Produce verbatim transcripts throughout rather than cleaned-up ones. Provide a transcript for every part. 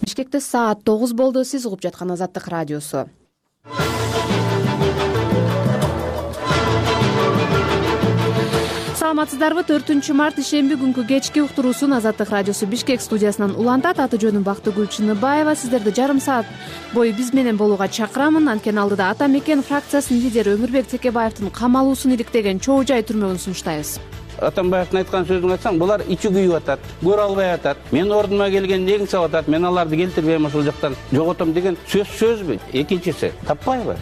Бишкекте саат тогуз болду. Сиз угуп жаткан Азаттык радиосу. Саламатсыздарбы? төртүнчү март ишемби күнкү кечки уктуруусун Азаттык радиосу Бишкек студиясынан улантат. Аты жөнүм Бактыгүл Чыныбаева. Сиздерди жарым саат бою биз менен болууга чакырамын. Анткени алдыда Ата Мекен фракциясынын лидери Өмүрбек Текебаевдин камалуусун иликтеген чоо жай түрмөгүн сунуштайбыз. Атамбаевдин айткан сөзүн айтсаң, булар ичи күйүп атат, көрө албай атат. Мен ордума келген негин сап атат. Мен аларды келтирбейм, ошол жактан жоготом деген сөз сөзбү? Экинчиси таппайбы?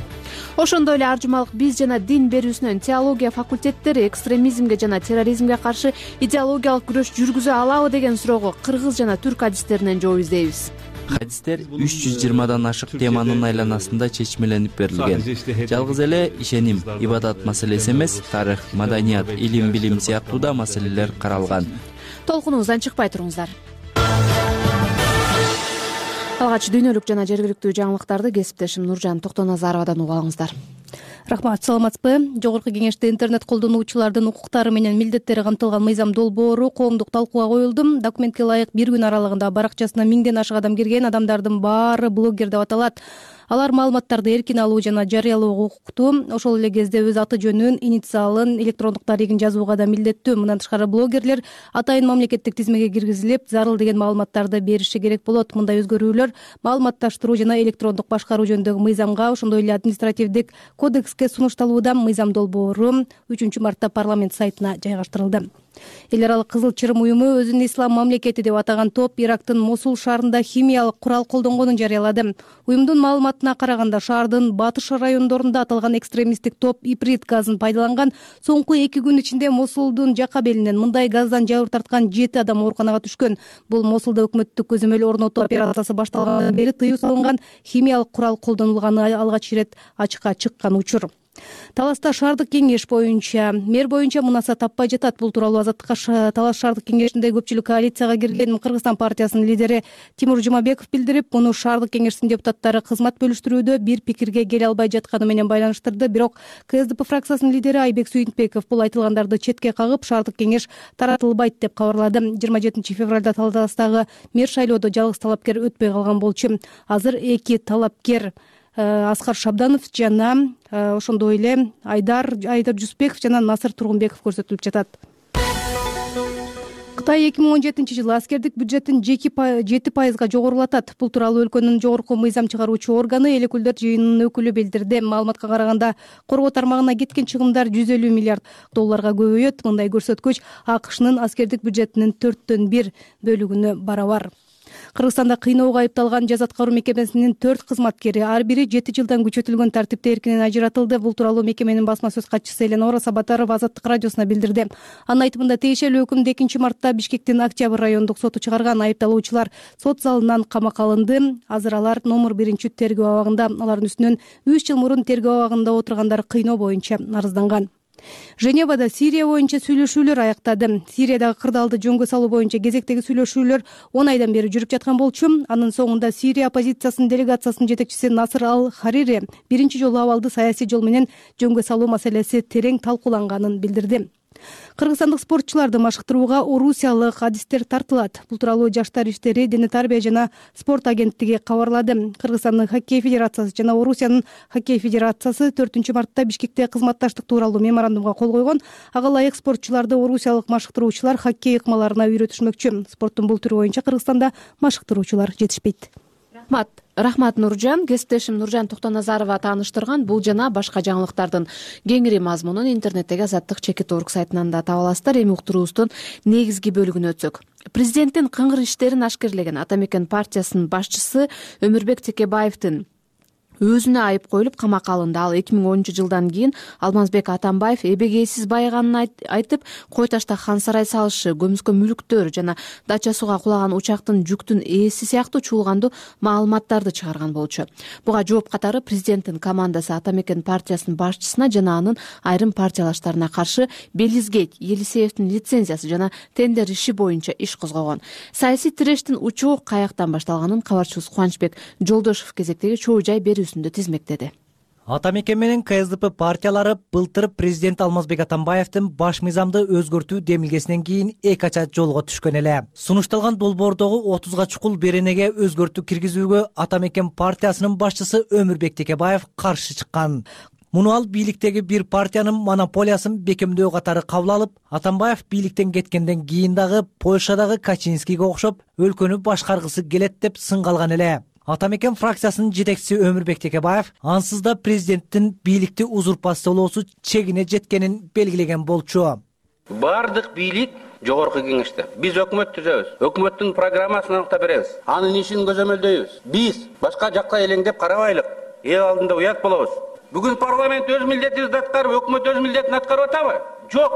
Ошондой эле ар жумалык биз жана дин берүүсүнөн теология факультеттери экстремизмге жана терроризмге каршы идеологиялык күрөш жүргүзө алабы деген суроого кыргыз жана түрк адистеринен жооп издейбиз. Хадистер үч жүз жыйырмадан ашык теманын айланасында чечмеленип берилген. Жалгыз эле ишеним, ибадат маселеси эмес, тарых, маданият, илим, билим сыяктуу да маселелер каралган. Толкунубуздан чыкпай туруңуздар. Алгач дүйнөлүк жана жергиликтүү жаңылыктарды кесиптешим Нуржан Токтоназаровадан угуп алыңыздар. Рахмат, саламатсызбы? Жогорку кеңеште интернет колдонуучулардын укуктары менен милдеттери камтылган мыйзам долбоору коомдук талкууга коюлду. Документке ылайык бир күн аралыгында баракчасына миңден ашык адам кирген. Адамдардын баары блогер деп аталат. Алар маалыматтарды эркин алуу жана жарыялоого укуктуу. Ошол эле кезде өз аты жөнүн, инициалын, электрондук дарегин жазууга да милдеттүү. Мындан тышкары блогерлер атайын мамлекеттик тизмеге киргизилип, зарыл деген маалыматтарды бериши керек болот. Мындай өзгөрүүлөр маалыматташтыруу жана электрондук башкаруу жөнүндөгү мыйзамга, ошондой эле административдик кодекске сунушталууда. Мыйзам долбоору үчүнчү мартта парламент сайтына жайгаштырылды. Эл аралык Кызыл Чырым уюму өзүн ислам мамлекети деп атаган топ Ирактын Мосул шаарында химиялык курал колдонгонун жарыялады. Уюмдун маалыматына караганда, шаардын батыш райондорунда аталган экстремисттик топ иприт газын пайдаланган. Соңку эки күн ичинде Мосулдун жака белинен мындай газдан жабыр тарткан жети адам ооруканага түшкөн. Бул Мосулда өкмөттүк көзөмөл орнотуу операциясы башталгандан бери тыюу салынган химиялык курал колдонулганы алгач ирет ачыкка чыккан учур. Таласта шаардык кеңеш боюнча мэр боюнча мунаса таппай жатат. Бул тууралуу Азаттыкка Талас шаардык кеңешинде көпчүлүк коалицияга кирген Кыргызстан партиясынын лидери Тимур Жумабеков билдирип, муну шаардык кеңештин депутаттары кызмат бөлүштүрүүдө бир пикирге келе албай жатканы менен байланыштырды. Бирок КСДП фракциясынын лидери Айбек Сүйүнтбеков бул айтылгандарды четке кагып, шаардык кеңеш таратылбайт деп кабарлады. жыйырма жетинчи февралда Таластагы мэр шайлоодо жалгыз талапкер өтпөй калган болчу. Азыр эки талапкер Аскар Шабданов жана ошондой эле Айдар Айдар Жусупбеков жана Насыр Тургунбеков көрсөтүлүп жатат. Кытай эки миң он жетинчи жылы аскердик бюджеттин жети пайызга жогорулатат. Бул тууралуу өлкөнүн жогорку мыйзам чыгаруучу органы Эл өкүлдөр жыйынынын өкүлү билдирди. Маалыматка караганда, коргоо тармагына кеткен чыгымдар жүз элүү миллиард долларга көбөйөт. Мындай көрсөткүч АКШнын аскердик бюджетинин төрттөн бир бөлүгүнө барабар. Кыргызстанда кыйноого айыпталган жаза аткаруу мекемесинин төрт кызматкери ар бири жети жылдан күчөтүлгөн тартипте эркинен ажыратылды. Бул тууралуу мекеменин басма сөз катчысы Эленора Сабатарова Азаттык радиосуна билдирди. Анын айтымында, тиешелүү өкүмдү экинчи мартта Бишкектин Октябрь райондук соту чыгарган. Айыпталуучулар сот залынан камакка алынды. Азыр алар номер биринчи тергөө абагында. Алардын үстүнөн үч жыл мурун тергөө абагында отургандар кыйноо боюнча арызданган. Женевада Сирия боюнча сүйлөшүүлөр аяктады. Сириядагы кырдаалды жөнгө салуу боюнча кезектеги сүйлөшүүлөр он айдан бери жүрүп жаткан болчу. Анын соңунда Сирия оппозициясынын делегациясынын жетекчиси Насыр Ал-Харири биринчи жолу абалды саясий жол менен жөнгө салуу маселеси терең талкууланганын билдирди. Кыргызстандык спортчуларды машыктырууга орусиялык адистер тартылат. Бул тууралуу Жаштар иштери, дене тарбия жана спорт агенттиги кабарлады. Кыргызстандын хоккей федерациясы жана Орусиянын хоккей федерациясы төртүнчү мартта Бишкекте кызматташтык тууралуу меморандумга кол койгон. Ага ылайык спортчуларды орусиялык машыктыруучулар хоккей ыкмаларына үйрөтүшмөкчү. Спорттун бул түрү боюнча Кыргызстанда машыктыруучулар жетишпейт. Рахмат. Рахмат Нуржан. Кесиптешим Нуржан Токтоназарова тааныштырган бул жана башка жаңылыктардын кеңири мазмунун интернеттеги Азаттык чекит орг сайтынан да таба аласыздар. Эми уктуруубуздун негизги бөлүгүнө өтсөк. Президенттин кыңгыр иштерин ашкерлеген Ата Мекен партиясынын башчысы Өмүрбек Текебаевдин өзүнө айып коюлуп камакка алынды. Ал эки миң онунчу жылдан кийин Алмазбек Атамбаев эбегейсиз байыганын айтып, кой ташта хан сарай салышы, көмүскө мүлктөр жана дача сууга кулаган учактын жүктүн ээси сыяктуу чуулгандуу маалыматтарды чыгарган болчу. Буга жооп катары президенттин командасы Ата Мекен партиясынын башчысына жана анын айрым партиялаштарына каршы Белизгейт, Елисеевдин лицензиясы жана тендер иши боюнча иш козгогон. Саясий тирештин учуу каяктан башталганын кабарчыбыз Кубанычбек Жолдошев кезектеги чоо жай берүүсүндө тизмектеди. Ата мекен менен Ка Эс Д П партиялары былтыр президент Алмазбек Атамбаевдин баш мыйзамды өзгөртүү демилгесинен кийин эки ача жолго түшкөн эле. Сунушталган долбоордогу отузга чукул беренеге өзгөртүү киргизүүгө Ата мекен партиясынын башчысы Өмүрбек Текебаев каршы чыккан. Муну ал бийликтеги бир партиянын монополиясын бекемдөө катары кабыл алып, Атамбаев бийликтен кеткенден кийин дагы Польшадагы Качинскийге окшоп өлкөнү башкаргысы келет деп сынга алган эле. Ата мекен фракциясынын жетекчиси Өмүрбек Текебаев ансыз да президенттин бийликти узурпациялоосу чегине жеткенин белгилеген болчу. Бардык бийлик жогорку кеңеште. Биз өкмөт түзөбүз. Өкмөттүн программасын аныктап беребиз. Анын ишин көзөмөлдөйбүз. Биз башка жакка элеңдеп карабайлык. Эл алдында уят болобуз. Бүгүн парламент өз милдетин аткарып, өкмөт өз милдетин аткарып атабы? Жок.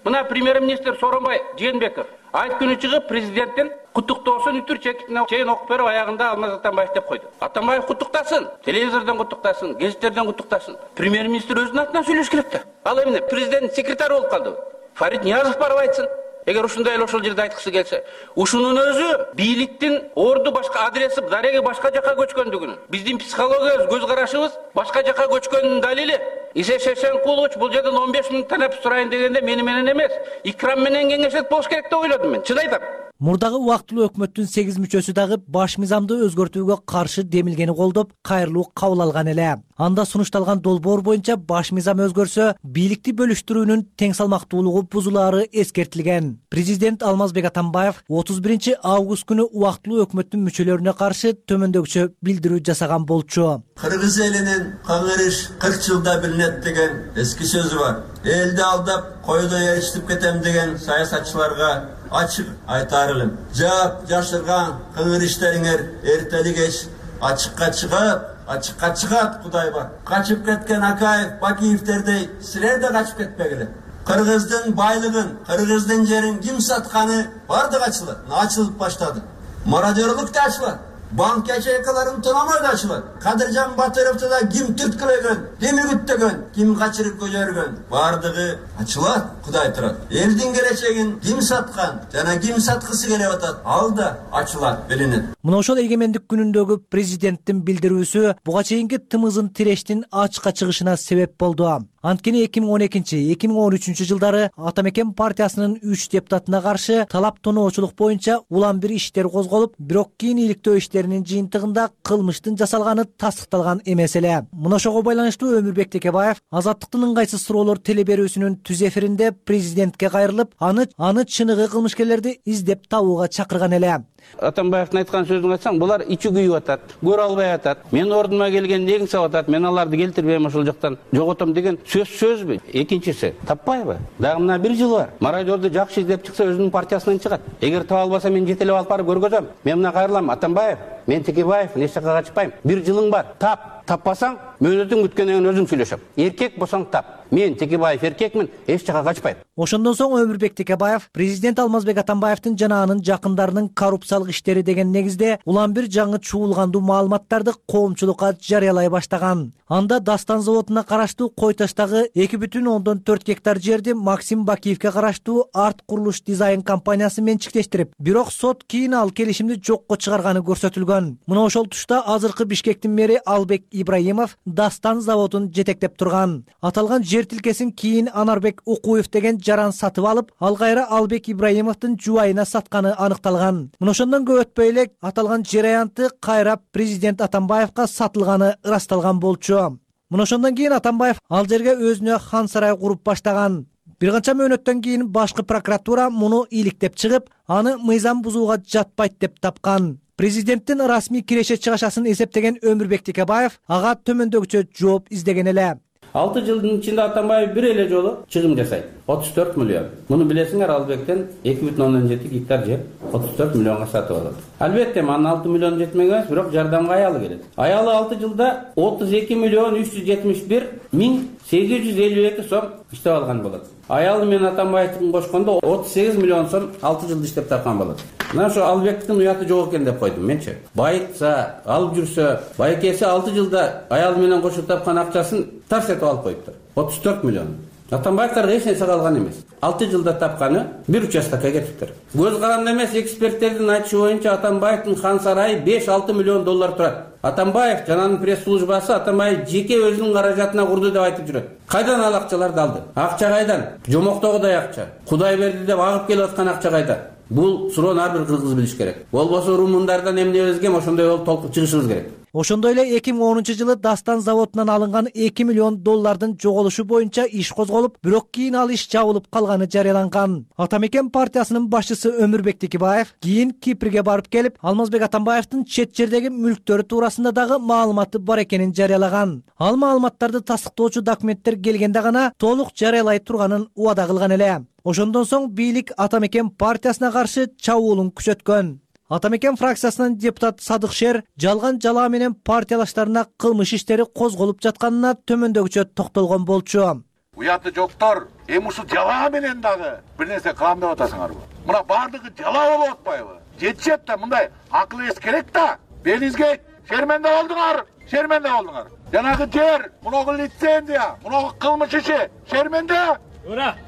Мына премьер-министр Сооронбай Жээнбеков айт күнү чыгып президенттин куттуктоосун үтүр чекитине чейин окуп берип, аягында Алмаз Атамбаев деп койду. Атамбаев куттуктасын, телевизордон куттуктасын, гезиттерден куттуктасын. Премьер-министр өзүнүн атынан сүйлөш керек да. Ал эмне президент секретары болуп калды. Фарид Ниязов барып айтсын. Эгер ушундай эле ошол жерде айткысы келсе, ушунун өзү бийликтин орду башка адреси, дареги башка жака көчкөндүгүнүн, биздин психологиябыз, көз карашыбыз башка жака көчкөнүнүн далили. Исе Шешенкулович бул жерден он беш миң танап сурайын дегенде мени менен эмес, Икрам менен кеңешет болуш керек деп ойлодум мен. Чын айтам. Мурдагы убактылуу өкмөттүн сегиз мүчөсү дагы баш мыйзамды өзгөртүүгө каршы демилгени колдоп, кайрылуу кабыл алган эле. Анда сунушталган долбоор боюнча баш мыйзам өзгөрсө, бийликти бөлүштүрүүнүн тең салмактуулугу бузулаары эскертилген. Президент Алмазбек Атамбаев отуз биринчи август күнү убактылуу өкмөттүн мүчөлөрүнө каршы төмөндөгүчө билдирүү жасаган болчу. Кыргыз элинин каңырыш кырк жылда билинет деген эски сөзү бар. Элди алдап, койдой эричтип кетем деген саясатчыларга ачык айтарылым. Жап жашырган кыңыр иштериңер эртели кеч ачыкка чыгып, ачыкка чыгат Кудай бар. Качып кеткен Акаев, Бакиевтердей силер да качып кетпегиле. Кыргыздын байлыгын, кыргыздын жерин ким сатканы бардык ачылат. Ачылып баштады. Мародерлук да ачылат. Банк ячейкаларын тономой да ачылат. Кадыржан Батыровду да ким түрткүлөгөн, ким үгүттөгөн, ким качырып көжөргөн, бардыгы ачылат. Кудай турат. Элдин келечегин ким саткан жана ким саткысы келип атат, ал да ачылат, билинет. Мына ошол эгемендик күнүндөгү президенттин билдирүүсү буга чейинки тымызын тирештин ачыкка чыгышына себеп болду. Анткени эки миң он экинчи — эки миң он үчүнчү жылдары Ата мекен партиясынын үч депутатына каршы талап тоноочулук боюнча улам бир иштер козголуп, бирок кийин иликтөө иштеринин жыйынтыгында кылмыштын жасалганы тастыкталган эмес эле. Мына ошого байланыштуу Өмүрбек Текебаев Азаттыктын ыңгайсыз суроолор телеберүүсүнүн түз эфиринде президентке кайрылып, аны аны чыныгы кылмышкерлерди издеп табууга чакырган эле. Атамбаевдин айткан сөзүн айтсаң, булар ичи күйүп атат, көрө албай атат. Мен ордума келген негин сап атат, мен аларды келтирбейм, ошол жактан жоготом деген сөз сөзбү? Экинчиси, таппайбы? Дагы мына бир жыл бар. Мародерди жакшы издеп чыкса, өзүнүн партиясынан чыгат. Эгер таба албаса, мен жетелеп алып барып көргөзөм. Мен мына кайрылам, Атамбаев, мен Текебаев, эч жакка качпайм. Бир жылың бар. Тап. Таппасаң, мөөнөтүң бүткөндөн кийин өзүм сүйлөшөм. Эркек болсоң тап. Мен Текебаев эркекмин, эч жакка качпайм. Ошондон соң Өмүрбек Текебаев президент Алмазбек Атамбаевдин жана анын жакындарынын коррупциялык иштери деген негизде улам бир жаңы чуулгандуу маалыматтарды коомчулукка жарыялай баштаган. Анда Дастан заводуна караштуу Кой Таштагы эки бүтүн ондон төрт гектар жерди Максим Бакиевке караштуу Арт Курулуш Дизайн компаниясы менчиктештирип, бирок сот кийин ал келишимди жокко чыгарганы көрсөтүлгөн. Мына ошол тушта азыркы Бишкектин мэри Албек Ибраимов Дастан заводун жетектеп турган. Аталган жер тилкесин кийин Анарбек Укуев деген жаран сатып алып, ал кайра Албек Ибраимовдун жубайына сатканы аныкталган. Мына ошондон көп өтпөй эле аталган жер аянты кайра президент Атамбаевка сатылганы ырасталган болчу. Мына ошондон кийин Атамбаев ал жерге өзүнө хан сарай куруп баштаган. Бир канча мөөнөттөн кийин башкы прокуратура муну иликтеп чыгып, аны мыйзам бузууга жатпайт деп тапкан. Президенттин расмий киреше чыгашасын эсептеген Өмүрбек Текебаев ага төмөндөгүчө жооп издеген эле. алты жылдын ичинде Атамбаев бир эле жолу чыгым жасайт. отуз төрт миллион. Муну билесиңер, Албектен эки бүтүн ондон жети гектар жер отуз төрт миллионго сатып алат. Албетте, анын алты миллион жетмеген эмес, бирок жардамга аялы келет. Аялы алты жылда отуз эки миллион үч жүз жетимиш бир миң сегиз жүз элүү эки сом иштеп алган болот. Аялы менен Атамбаевдин кошкондо отуз сегиз миллион сом алты жылда иштеп тапкан болот. Мына ошо Албектин уяты жок экен деп койдум менчи. Байытса, алып жүрсө, байкеси алты жылда аялы менен кошуп тапкан акчасын тарс этип алып коюптур. отуз төрт миллион. Атамбаевдарга эч нерсе калган эмес. алты жылда тапканы бир участокко кетиптир. Көз каранды эмес эксперттердин айтышы боюнча Атамбаевдин хан сарайы беш алты миллион доллар турат. Атамбаев жана анын пресс службасы Атамбаев жеке өзүнүн каражатына курду деп айтып жүрөт. Кайдан ал акчаларды алды? Акча кайдан? Жомоктогудай акча. Кудай берди деп агып келип аткан акча кайда? Бул суроону ар бир кыргыз билиш керек. Болбосо румундардан эмнебизге ошондой болуп толкуп чыгышыбыз керек. Ошондой эле эки миң онунчу жылы Дастан заводунан алынган эки миллион доллардын жоголушу боюнча иш козголуп, бирок кийин ал иш жабылып калганы жарыяланган. Атамекен партиясынын башчысы Өмүрбек Текебаев кийин Кипрге барып келип, Алмазбек Атамбаевдин чет жердеги мүлктөрү туурасында дагы маалыматы бар экенин жарыялаган. Ал маалыматтарды тастыктоочу документтер келгенде гана толук жарыялай турганын убада кылган эле. Ошондон соң бийлик Атамекен партиясына каршы чабуулун күчөткөн. Атамекен фракциясынын депутат Садык Шер жалган жалаа менен партиялаштарына кылмыш иштери козголуп жатканына төмөндөгүчө токтолгон болчу. Уяты жоктор, эми ушул жалаа менен дагы бир нерсе кылам деп атасыңарбы? Мына бардыгы жалаа болуп атпайбы? Жетишет да, мындай акыл эс керек да. Белиңизге шерменде болдуңар, шерменде болдуңар. Жанагы жер, мунагы лицензия, мунагы кылмыш иши шерменде.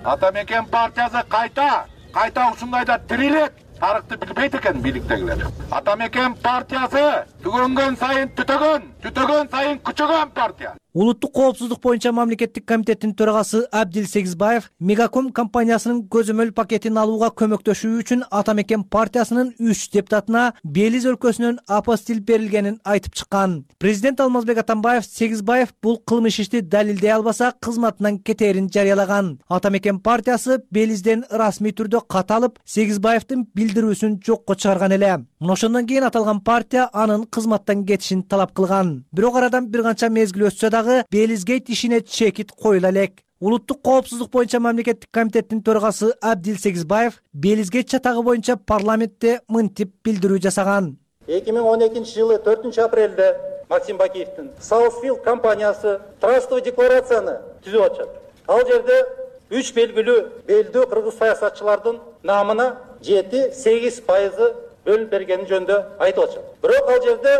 Атамекен партиясы кайта, кайта ушундайда тирилет. Тарыхты билбейт экен бийликтегилер. Атамекен партиясы түгөнгөн сайын түтөгөн, түтөгөн сайын күчөгөн партия. Улуттук коопсуздук боюнча мамлекеттик комитеттин төрагасы Абдил Сегизбаев Мегаком компаниясынын көзөмөл пакетин алууга көмөктөшүү үчүн Атамекен партиясынын үч депутатына Белиз өлкөсүнөн апостил берилгенин айтып чыккан. Президент Алмазбек Атамбаев Сегизбаев бул кылмыш ишти далилдей албаса кызматынан кетерин жарыялаган. Атамекен партиясы Белизден расмий түрдө кат алып, Сегизбаевдин билдирүүсүн жокко чыгарган эле. Ошондон кийин аталган партия анын кызматтан кетишин талап кылган. Бирок арадан бир канча мезгил өтсө дагы Белизгейт ишине чекит коюла элек. Улуттук коопсуздук боюнча мамлекеттик комитеттин төрагасы Абдил Сегизбаев Белизгейт чатагы боюнча парламентте мынтип билдирүү жасаган. эки миң он экинчи жылы төртүнчү апрелде Максим Бакиевдин Southfield компаниясы трастовый декларацияны түзүп атышат. Ал жерде үч белгилүү белдүү кыргыз саясатчылардын намына жети сегиз пайызы бөлүнүп бергени жөнүндө айтып атышат. Бирок ал жерде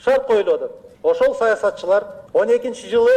шарт коюлуп атат. Ошол саясатчылар он экинчи жылы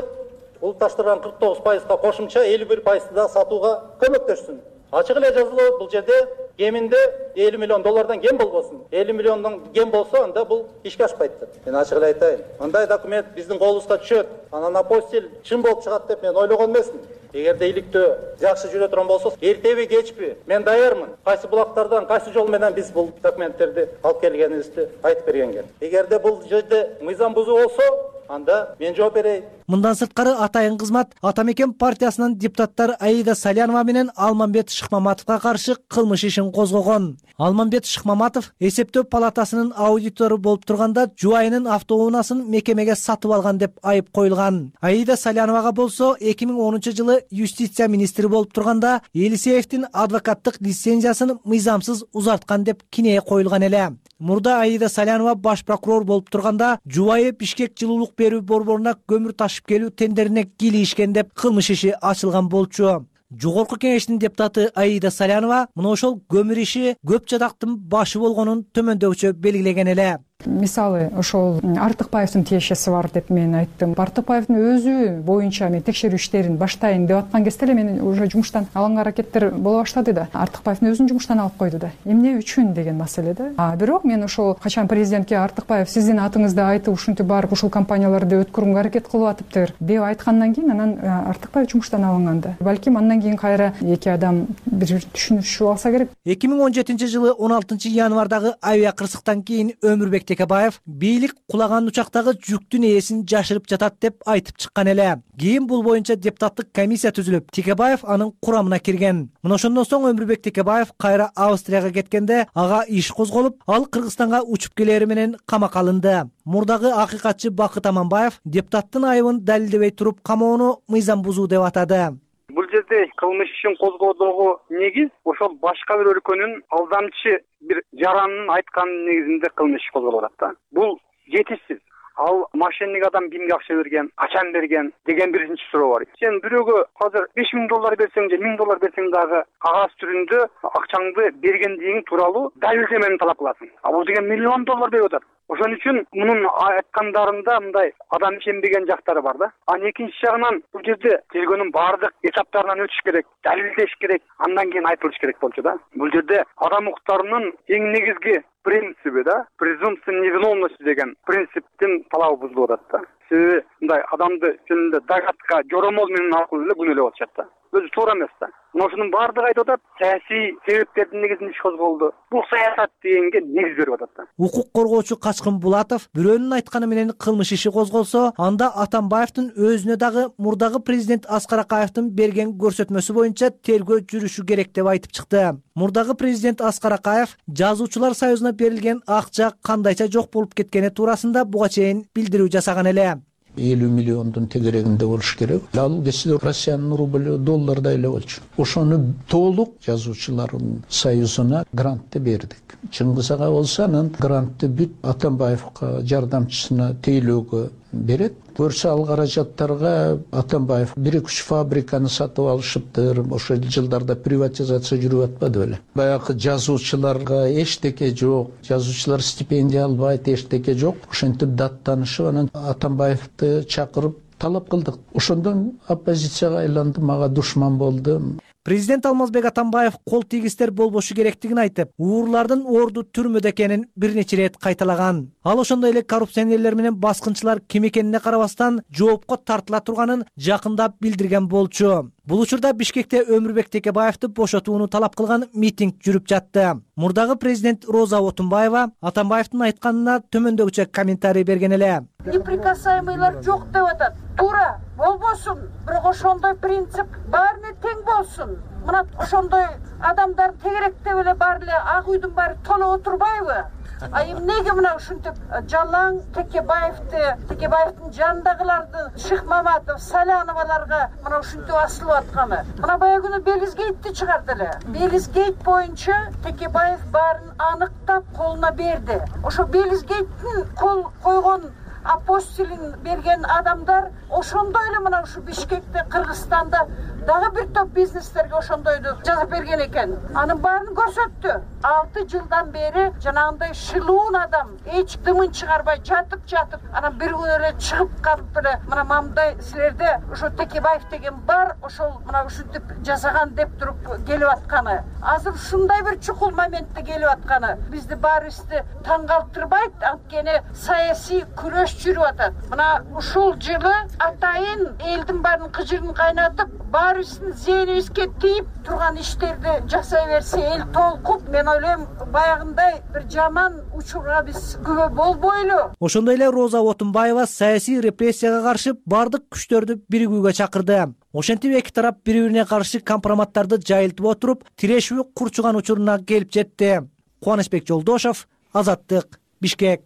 улутташтырган кырк тогуз пайызга кошумча элүү бир пайызды да сатууга көмөктөшсүн. Ачык эле жазылуу бул жерде кеминде элүү миллион доллардан кем болбосун. элүү миллиондон кем болсо анда бул ишке ашпайт деп. Мен ачык эле айтайын. Андай документ биздин колубузга түшөт. Анан апостил чын болуп чыгат деп мен ойлогон эмесмин. Эгерде иликтөө жакшы жүрө турган болсо, эртеби кечпи мен даярмын. Кайсы булактардан, кайсы жол менен биз бул документтерди алып келгенибизди айтып бергенге. Эгерде бул жерде мыйзам бузуу болсо, анда мен жооп берейин. Мындан сырткары атайын кызмат Атамекен партиясынын депутаттар Аида Салянова менен Алмамбет Шыкмаматовго каршы кылмыш ишин козгогон. Алмамбет Шыкмаматов эсептөө палатасынын аудитору болуп турганда жубайынын автоунаасын мекемеге сатып алган деп айып коюлган. Аида Саляновага болсо эки миң онунчу жылы юстиция министри болуп турганда Елисеевдин адвокаттык лицензиясын мыйзамсыз узарткан деп кинее коюлган эле. Мурда Аида Салянова баш прокурор болуп турганда жубайы Бишкек жылуулук берүү борборуна көмүр ташып келүү тендерине кийлишкен деп кылмыш иши ачылган болчу. Жогорку кеңештин депутаты Аида Салянова мына ошол көмүр иши көп жадактын башы болгонун төмөндөгүчө белгилеген эле. Мисалы, ошол Артыкбаевдин тиешеси бар деп мен айттым. Артыкбаевдин өзү боюнча мен текшерүү иштерин баштайын деп аткан кезде эле мен уже жумуштан алганга аракеттер боло баштады да. Артыкбаевдин өзүн жумуштан алып койду да. Эмне үчүн деген маселе да. А бирок мен ошол качан президентке Артыкбаев сиздин атыңызды айтып ушинтип барып ушул компанияларды өткөрүүгө аракет кылып атыптыр деп айткандан кийин анан Артыкбаев жумуштан алынган да. Балким андан кийин кайра эки адам бир түшүнүшүп алса керек. эки миң он жетинчи жылы он алтынчы январдагы авиа кырсыктан кийин Өмүрбек Текебаев бийлик кулаган учактагы жүктүн ээсин жашырып жатат деп айтып чыккан эле. Кийин бул боюнча депутаттык комиссия түзүлүп, Текебаев анын курамына кирген. Мына ошондон соң Өмүрбек Текебаев кайра Австрияга кеткенде ага иш козголуп, ал Кыргызстанга учуп келери менен камакка алынды. Мурдагы акыйкатчы Бакыт Аманбаев депутаттын айыбын далилдебей туруп камоону мыйзам бузуу деп атады. Бул жерде кылмыш ишин козгоодогу негиз ошол башка бир өлкөнүн алдамчы бир жаранын айткан негизинде кылмыш иш козголуп атат да. Бул жетишсиз. Ал мошенник адам кимге акча берген, качан берген деген биринчи суроо бар. Сен бирөөгө азыр беш миң доллар берсең же миң доллар берсең дагы кагаз түрүндө акчаңды бергендигиң тууралуу далилдемени талап кыласың. А бул деген миллион доллар берип атат. Ошон үчүн мунун айткандарында мындай адам ишенбеген жактары бар да. Анан экинчи жагынан бул жерде тергөөнүн баардык этаптарынан өтүш керек, далилдеш керек, андан кийин айтылыш керек болчу да. Бул жерде адам укуктарынын эң негизги принциби да, презумпция невиновности деген принциптин талабы бузулуп атат да. Себеби мындай адамды жөнүндө догадка, жоромол менен аркылуу эле күнөөлөп атышат да. Өзү туура эмес да. Мына ошонун баардыгы айтып атат, саясий себептердин негизинде иш козголду. Бул саясат дегенге негиз берип атат да. Укук коргоочу Качкын Булатов бирөөнүн айтканы менен кылмыш иши козголсо, анда Атамбаевдин өзүнө дагы мурдагы президент Аскар Акаевдин берген көрсөтмөсү боюнча тергөө жүрүшү керек деп айтып чыкты. Мурдагы президент Аскар Акаев Жазуучулар союзуна берилген акча кандайча жок болуп кеткени туурасында буга чейин билдирүү жасаган эле. элүү миллиондун тегерегинде болуш керек. Ал десе Россиянын рубль долларда эле болчу. Ошону толук Жазуучулар союзуна грантты бердик. Чыңгыз ага болсо анан грантты бүт Атамбаевга жардамчысына тейлөөгө берет. Көрсө ал каражаттарга Атамбаев бир үч фабриканы сатып алышыптыр. Ошол жылдарда приватизация жүрүп атпады беле. Баягы жазуучуларга эчтеке жок, жазуучулар стипендия албайт, эчтеке жок. Ошентип даттанышып анан Атамбаевди чакырып талап кылдык. Ошондон оппозицияга айланды, мага душман болду. Президент Алмазбек Атамбаев кол тийгистер болбошу керектигин айтып, уурлардын орду түрмөдө экенин бир нече ирет кайталаган. Ал ошондой эле коррупционерлер менен баскынчылар ким экенине карабастан жоопко тартыла турганын жакында билдирген болчу. Бул учурда Бишкекте Өмүрбек Текебаевди бошотууну талап кылган митинг жүрүп жатты. Мурдагы президент Роза Отунбаева Атамбаевдин айтканына төмөндөгүчө комментарий берген эле. Неприкасаемыйлар жок деп атат. Туура, болбосун. Бирок ошондой принцип баарына тең болсун. Мына ошондой адамдар тегеректеп эле баары эле ак үйдүн баары толуп отурбайбы? А эмнеге мына ушинтип жалаң Текебаевди, Текебаевдин жанындагыларды Шыкмаматов, Саляноваларга мына ушинтип асылып атканы. Мына баягы күнү Белизгейтти чыгарды эле. Белизгейт боюнча Текебаев баарын аныктап колуна берди. Ошо Белизгейттин кол койгон апостилин берген адамдар ошондой эле мына ушу Бишкекте, Кыргызстанда дагы бир топ бизнестерге ошондойду жазып берген экен. Анын баарын көрсөттү. алты жылдан бери жанагындай шылуун адам эч дымын чыгарбай жатып жатып, анан бир күнү эле чыгып калып эле мына мамдай силерде ошо Текебаев деген бар, ошол мына ушинтип жасаган деп туруп келип атканы. Азыр ушундай бир чукул моментте келип атканы бизди баарыбызды таң калтырбайт, анткени саясий күрөш жүрүп атат. Мына ушул жылы атайын элдин баарын кыжырын кайнатып, баарыбыздын зээнибизге тийип турган иштерди жасай берсе эл толкуп, мен ойлойм баягындай бир жаман учурга биз күбө болбойлу. Ошондой эле Роза Отунбаева саясий репрессияга каршы бардык күчтөрдү биригүүгө чакырды. Ошентип эки тарап бири-бирине каршы компроматтарды жайылтып отуруп, тирешүү курчуган учуруна келип жетти. Кубанычбек Жолдошов, Азаттык, Бишкек.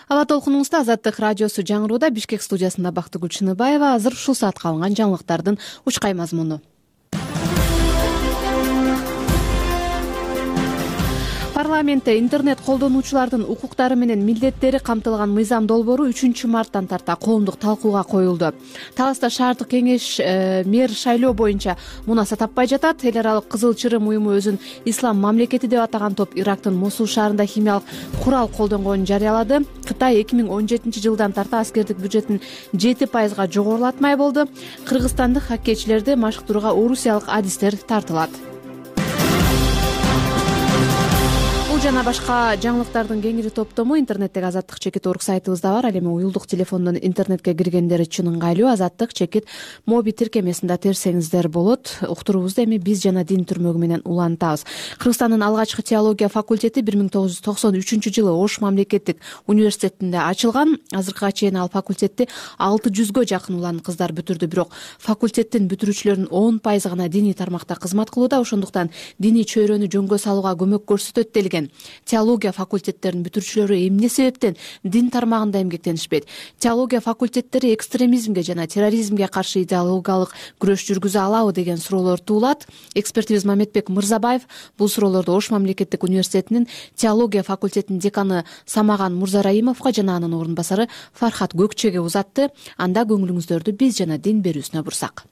Ала толкунуңузда Азаттык радиосу жаңырууда. Бишкек студиясында Бактыгүл Чыныбаева. Азыр ушул саатка алынган жаңылыктардын учкай мазмуну. Парламентте интернет колдонуучулардын укуктары менен милдеттери камтылган мыйзам долбоору үчүнчү марттан тарта коомдук талкууга коюлду. Таласта шаардык кеңеш э, мэр шайлоо боюнча мунаса таппай жатат. Эл аралык Кызыл Чырым уюму өзүн ислам мамлекети деп атаган топ Ирактын Мосул шаарында химиялык курал колдонгонун жарыялады. Кытай эки миң он жетинчи жылдан тарта аскердик бюджетин жети пайызга жогорулатмай болду. Кыргызстандык хоккейчилерди машыктырууга орусиялык адистер тартылат. Жана башка жаңылыктардын кеңири топтому интернеттеги Азаттык чекит орг сайтыбызда бар. Ал эми уюлдук телефондон интернетке киргендер үчүн ыңгайлуу. Азаттык чекит моби тиркемесинде терсеңиздер болот. Уктуруубузду эми биз жана дин түрмөгү менен улантабыз. Кыргызстандын алгачкы теология факультети бир миң тогуз жүз токсон үчүнчү жылы Ош мамлекеттик университетинде ачылган. Азыркыга чейин ал факультетти алты жүзгө жакын улан кыздар бүтүрдү. Бирок факультеттин бүтүрүүчүлөрүнүн он пайызы гана диний тармакта кызмат кылууда. Ошондуктан диний чөйрөнү жөнгө салууга көмөк көрсөтөт делген. Теология факультеттеринин бүтүрүүчүлөрү эмне себептен дин тармагында эмгектенишпейт? Теология факультеттери экстремизмге жана терроризмге каршы идеологиялык күрөш жүргүзө алабы деген суроолор туулат. Экспертибиз Мамедбек Мырзабаев бул суроолорду Ош мамлекеттик университетинин теология факультетинин деканы Самаган Мурзараимовго жана анын орун басары Фархат Көкчеге узатты. Анда көңүлүңүздөрдү биз жана дин берүүсүнө бурсак.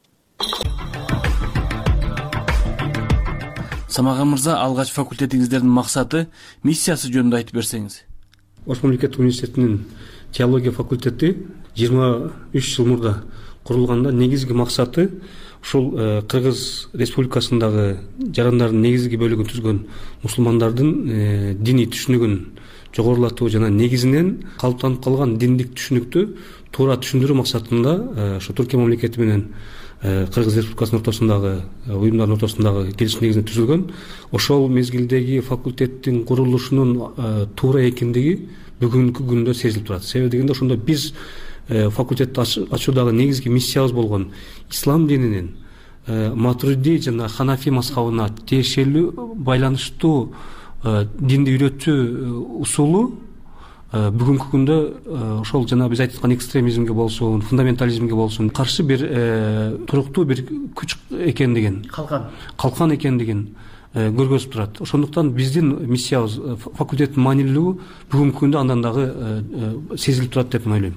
Самаган мырза, алгач факультетиңиздердин максаты, миссиясы жөнүндө айтып берсеңиз. Ош мамлекеттик университетинин теология факультети жыйырма үч жыл мурда курулганда негизги максаты ушул Кыргыз Республикасындагы жарандардын негизги бөлүгүн түзгөн мусулмандардын диний түшүнүгүн жогорулатуу жана негизинен калыптанып калган диндик түшүнүктү туура түшүндүрүү максатында ошо Түркия мамлекети менен Кыргыз Республикасынын ортосундагы уюмдардын ортосундагы келишим негизинде түзүлгөн. Ошол мезгилдеги факультеттин курулушунун туура экендиги бүгүнкү күндө сезилип турат. Себеби дегенде ошондо биз факультетти ачуудагы негизги миссиябыз болгон ислам дининин Матуриди жана Ханафи мазхабына тиешелүү байланыштуу динди үйрөтүү усулу бүгүнкү күндө ошол жана биз айтып аткан экстремизмге болсун, фундаментализмге болсун каршы бир туруктуу бир күч экендигин, калкан калкан экендигин көргөзүп турат. Ошондуктан биздин миссиябыз, факультеттин маанилүүлүгү бүгүнкү күндө андан дагы сезилип турат деп ойлойм.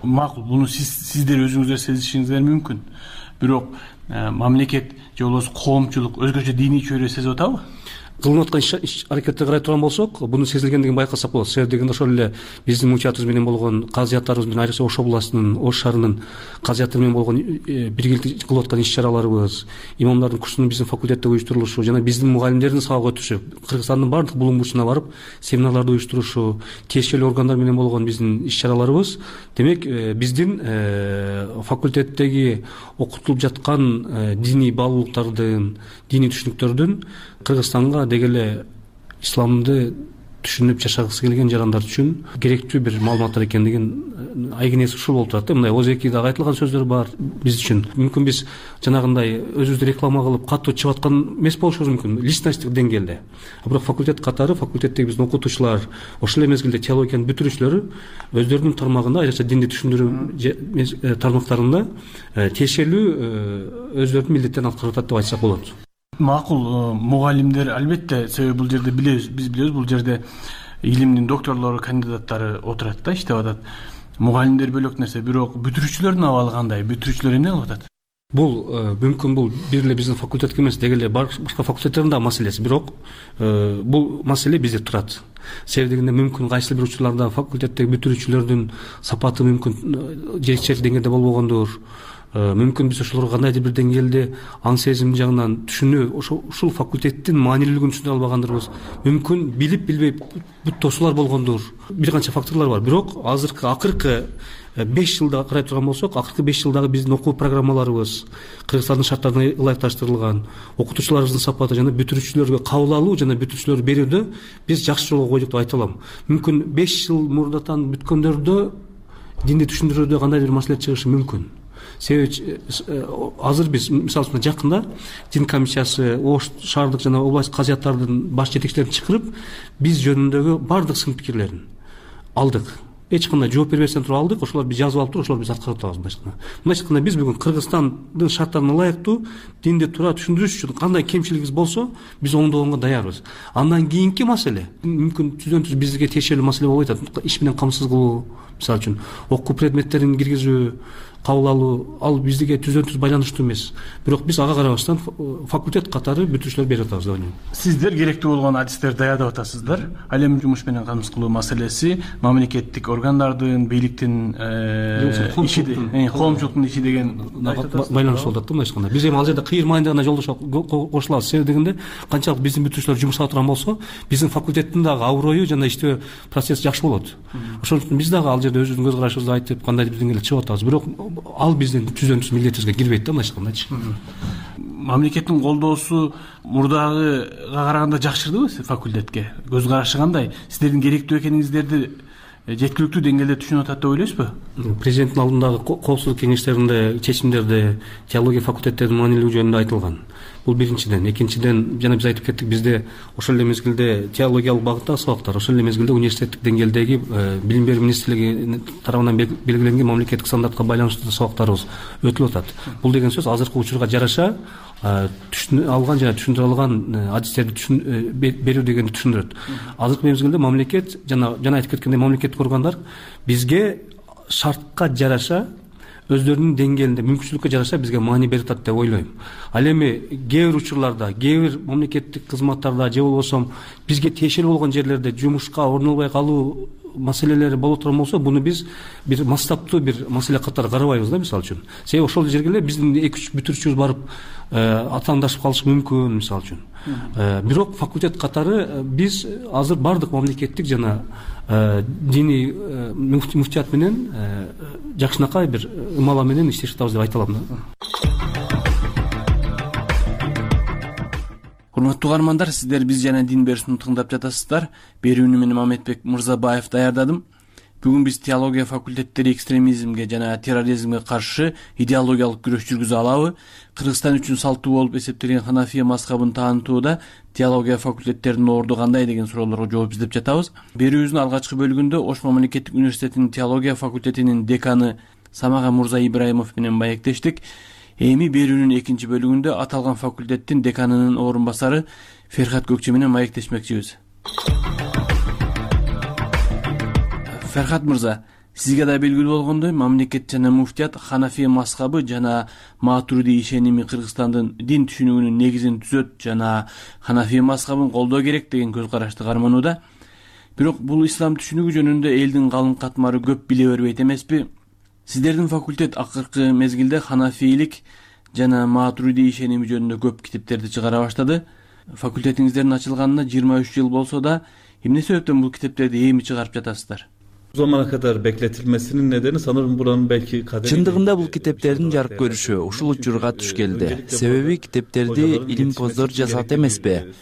Макул, буну сиз сиздер өзүңүздөр сезишиңиздер мүмкүн. Бирок мамлекет же болбосо коомчулук өзгөчө диний чөйрө сезип атабы? Кылынып аткан иш аракетти карай турган болсок, буну сезилгендигин байкасак болот. Себеби дегенде ошол эле биздин мучатыбыз менен болгон казыяттарыбыз менен, айрыкча Ош областынын, Ош шаарынын казыяттары менен болгон биргеликте кылып аткан иш-чараларыбыз, имамдардын курсунун биздин факультетте уюштурулушу жана биздин мугалимдердин сабак өтүшү, Кыргызстандын баардык булуң бурчуна барып семинарларды уюштурушу, тиешелүү органдар менен болгон биздин иш-чараларыбыз, демек биздин факультеттеги окутулуп жаткан диний баалуулуктардын, диний түшүнүктөрдүн Кыргызстанга деги эле исламды түшүнүп жашагысы келген жарандар үчүн керектүү бир маалыматтар экендигин айгинеси ушул болуп турат да. Мындай ооз эки дагы айтылган сөздөр бар биз үчүн. Мүмкүн биз жанагындай өзүбүздү реклама кылып катуу чыгып аткан эмес болушубуз мүмкүн личносттук деңгээлде. Бирок факультет катары, факультеттеги биздин окутуучулар, ошол эле мезгилде теологиянын бүтүрүүчүлөрү өздөрүнүн тармагында, айрыкча динди түшүндүрүү тармактарында тиешелүү өздөрүнүн милдеттерин аткарып атат деп айтсак болот. Макул, мугалимдер албетте, себеби бул жерде билебиз, биз билебиз, бул жерде илимдин докторлору, кандидаттары отурат да, иштеп атат. Мугалимдер бөлөк нерсе, бирок бүтүрүүчүлөрдүн абалы кандай? Бүтүрүүчүлөр эмне кылып атат? Бул мүмкүн бул бир эле биздин факультетке эмес, деги эле башка факультеттердин да маселеси, бирок бул маселе бизде турат. Себеби дегенде мүмкүн кайсы бир учурларда факультеттеги бүтүрүүчүлөрдүн сапаты мүмкүн жетишер деңгээлде болбогондур. Мүмкүн биз ошолорго кандайдыр бир деңгээлде аң сезим жагынан түшүнүү, ошол факультеттин маанилүүлүгүн түшүнө албагандырбыз. Мүмкүн билип билбей бүт тосуулар болгондур. Бир канча факторлор бар. Бирок азыркы акыркы беш жылда карай турган болсок, акыркы беш жылдагы биздин окуу программаларыбыз Кыргызстандын шарттарына ылайыкташтырылган, окутуучуларыбыздын сапаты жана бүтүрүүчүлөргө кабыл алуу жана бүтүрүүчүлөрдү берүүдө биз жакшы жолго койдук деп айта алам. Мүмкүн беш жыл мурдатан бүткөндөрдө динди түшүндүрүүдө кандайдыр бир маселе чыгышы мүмкүн. Себеби азыр биз мисалы үчүн жакында дин комиссиясы Ош шаардык жана область казыяттардын баш жетекчилерин чакырып, биз жөнүндөгү баардык сын пикирлерин алдык. Эч кандай жооп бербестен туруп алдык, ошолор биз жазып алып туруп, ошолор биз аткарып атабыз мындайча. Мындайча айтканда биз бүгүн Кыргызстандын шарттарына ылайыктуу динди туура түшүндүрүш үчүн кандай кемчилигибиз болсо, биз оңдогонго даярбыз. Андан кийинки маселе мүмкүн түздөн түз бизге тиешелүү маселе болбой атат. Иш менен камсыз кылуу, мисалы үчүн окуу предметтерин киргизүү, кабыл алуу, ал бизге түздөн түз байланыштуу эмес. Бирок биз ага карабастан факультет катары бүтүрүүчүлөр берип атабыз деп ойлойм. Сиздер керектүү болгон адистерди даярдап атасыздар. Ал эми жумуш менен камсыз кылуу маселеси мамлекеттик органдардын, бийликтин иши, коомчулуктун иши деген байланыштуу болуп атат да мындайча айтканда. Биз эми ал жерде кыйыр майындагы гана жолдош кошулабыз. Себеби дегенде канчалык биздин бүтүрүүчүлөр жумушка турган болсо, биздин факультеттин дагы аброю жана иштөө процесси жакшы болот. Ошон үчүн биз дагы ал жерде өзүбүздүн көз карашыбызды айтып, кандайдыр бир деңгээлде чыгып атабыз. Бирок ал биздин түздөн түз милдетибизге кирбейт да мындайча айткандачы. Мамлекеттин колдоосу мурдагыга караганда жакшырдыбы факультетке? Көз карашы кандай? Сиздердин керектүү экениңиздерди жеткиликтүү деңгээлде түшүнүп атат деп ойлойсузбу? Президенттин алдындагы коопсуздук кеңештеринде чечимдерде теология факультеттеринин маанилүүлүгү жөнүндө айтылган. Бул биринчиден. Экинчиден, жана биз айтып кеттик, бизде ошол эле мезгилде теологиялык багыттагы сабактар, ошол эле мезгилде университеттик деңгээлдеги билим берүү министрлиги тарабынан белгиленген мамлекеттик стандартка байланыштуу сабактарыбыз өтүлүп атат. Бул деген сөз азыркы учурга жараша түшүнө алган жана түшүндүрө алган адистерди берүү дегенди түшүндүрөт. Азыркы мезгилде мамлекет жана жана айтып кеткендей мамлекеттик органдар бизге шартка жараша өздөрүнүн деңгээлинде мүмкүнчүлүккө жараша бизге маани берип атат деп ойлойм. Ал эми кээ бир учурларда, кээ бир мамлекеттик кызматтарда же болбосо бизге тиешелүү болгон жерлерде жумушка орун албай калуу маселелери болуп турган болсо, буну биз бир масштабтуу бир маселе катары карабайбыз да, мисалы үчүн. Себеби ошол жерге эле биздин эки үч бүтүрүүчүбүз барып атаандашып калышы мүмкүн, мисалы үчүн. Бирок факультет катары биз азыр бардык мамлекеттик жана диний муфтият менен жакшынакай бир ымала менен иштешип атабыз деп айта алам да. Урматтуу угармандар, сиздер биз жана дин берүүсүн тыңдап жатасыздар. Берүүнү мен Мамедбек Мырзабаев даярдадым. Бүгүн биз теология факультеттери экстремизмге жана терроризмге каршы идеологиялык күрөш жүргүзө алабы? Кыргызстан үчүн салттуу болуп эсептелген Ханафия мазхабын таанытууда теология факультеттеринин орду кандай деген суроолорго жооп издеп жатабыз. Берүүбүздүн алгачкы бөлүгүндө Ош мамлекеттик университетинин теология факультетинин деканы Самага Мурза Ибраимов менен маектештик. Эми берүүнүн экинчи бөлүгүндө аталган факультеттин деканынын орун басары Ферхат Көкче менен маектешмекчибиз. Ферхат Мырза, сизге да белгилүү болгондой, мамлекет жана муфтият Ханафия мазхабы жана Матуриди ишеними Кыргызстандын дин түшүнүгүнүн негизин түзөт жана Ханафия мазхабын колдоо керек деген көз карашты карманууда. Бирок бул ислам түшүнүгү жөнүндө элдин калың катмары көп биле бербейт эмеспи? Сиздердин факультет акыркы мезгилде ханафийлик жана Матуриди ишеними жөнүндө көп китептерди чыгара баштады. Факультетиңиздердин ачылганына жыйырма үч жыл болсо да, эмне себептен бул китептерди эми чыгарып жатасыздар? Bu zamana kadar bekletilmesinin nedeni sanırım buranın belki kaderi... Чындыгында бул китептердин жарык көрүшү ушул учурга туш келди. Себеби китептерди илимпоздор жасат эмеспи.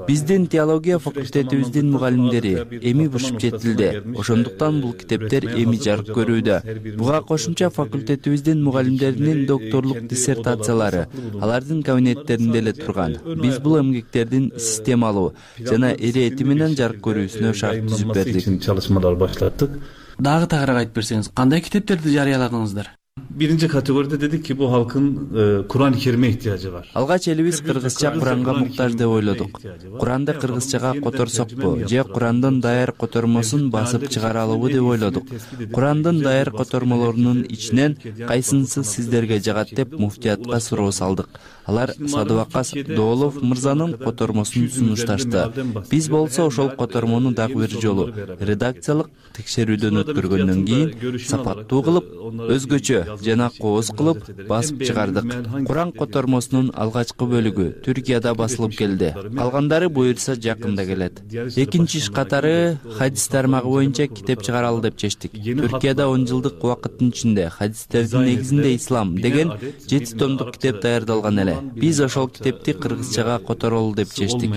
Биздин теология факультетибиздин мугалимдери эми бушуп жетилди. Ошондуктан бул китептер эми жарык көрүүдө. Буга кошумча факультетибиздин мугалимдеринин докторлук диссертациялары алардын кабинеттеринде эле турган. Биз бул эмгектердин системалуу жана эрети менен жарык көрүүсүнө шарт түзүп бердик. Çalışmalar başlattık. Дагы тагыраак айтып берсеңиз, кандай китептерди жарыяладыңыздар? Birinci kategoride dedik ki bu halkın e, Kur'an-ı Kerim'e ihtiyacı var. Алгач элибиз кыргызча Куранга муктаж деп ойлодук. Куранды кыргызчага которсокпу же Курандын даяр котормосун басып чыгаралыбы деп ойлодук. Курандын даяр котормолорунун ичинен кайсынысы сиздерге жагат деп муфтиятка суроо салдык. Алар Садыбакас Доолов мырзанын котормосун сунушташты. Биз болсо ошол котормону дагы бир жолу редакциялык текшерүүдөн өткөргөндөн кийин сапаттуу кылып, өзгөчө жана кооз кылып басып чыгардык. Куран котормосунун алгачкы бөлүгү Түркияда басылып келди. Калгандары буюрса жакында келет. Экинчи иш катары хадис тармагы боюнча китеп чыгаралы деп чечтик. Түркияда он жылдык убакыттын ичинде хадистердин негизинде ислам деген жети томдук китеп даярдалган эле. Биз ошол китепти кыргызчага которолу деп чечтик.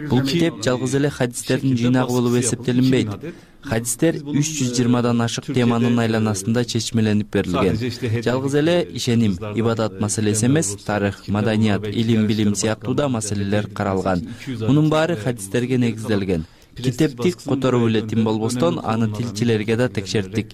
Бул китеп жалгыз эле хадистердин жыйнагы болуп эсептелинбейт. Хадистер үч жүз жыйырмадан ашык теманын айланасында чечмеленип берилген. Жалгыз эле ишеним, ибадат маселеси эмес, тарых, маданият, илим, билим сыяктуу да маселелер каралган. Мунун баары хадистерге негизделген. Китепти которуп эле тим болбостон аны тилчилерге да текшерттик.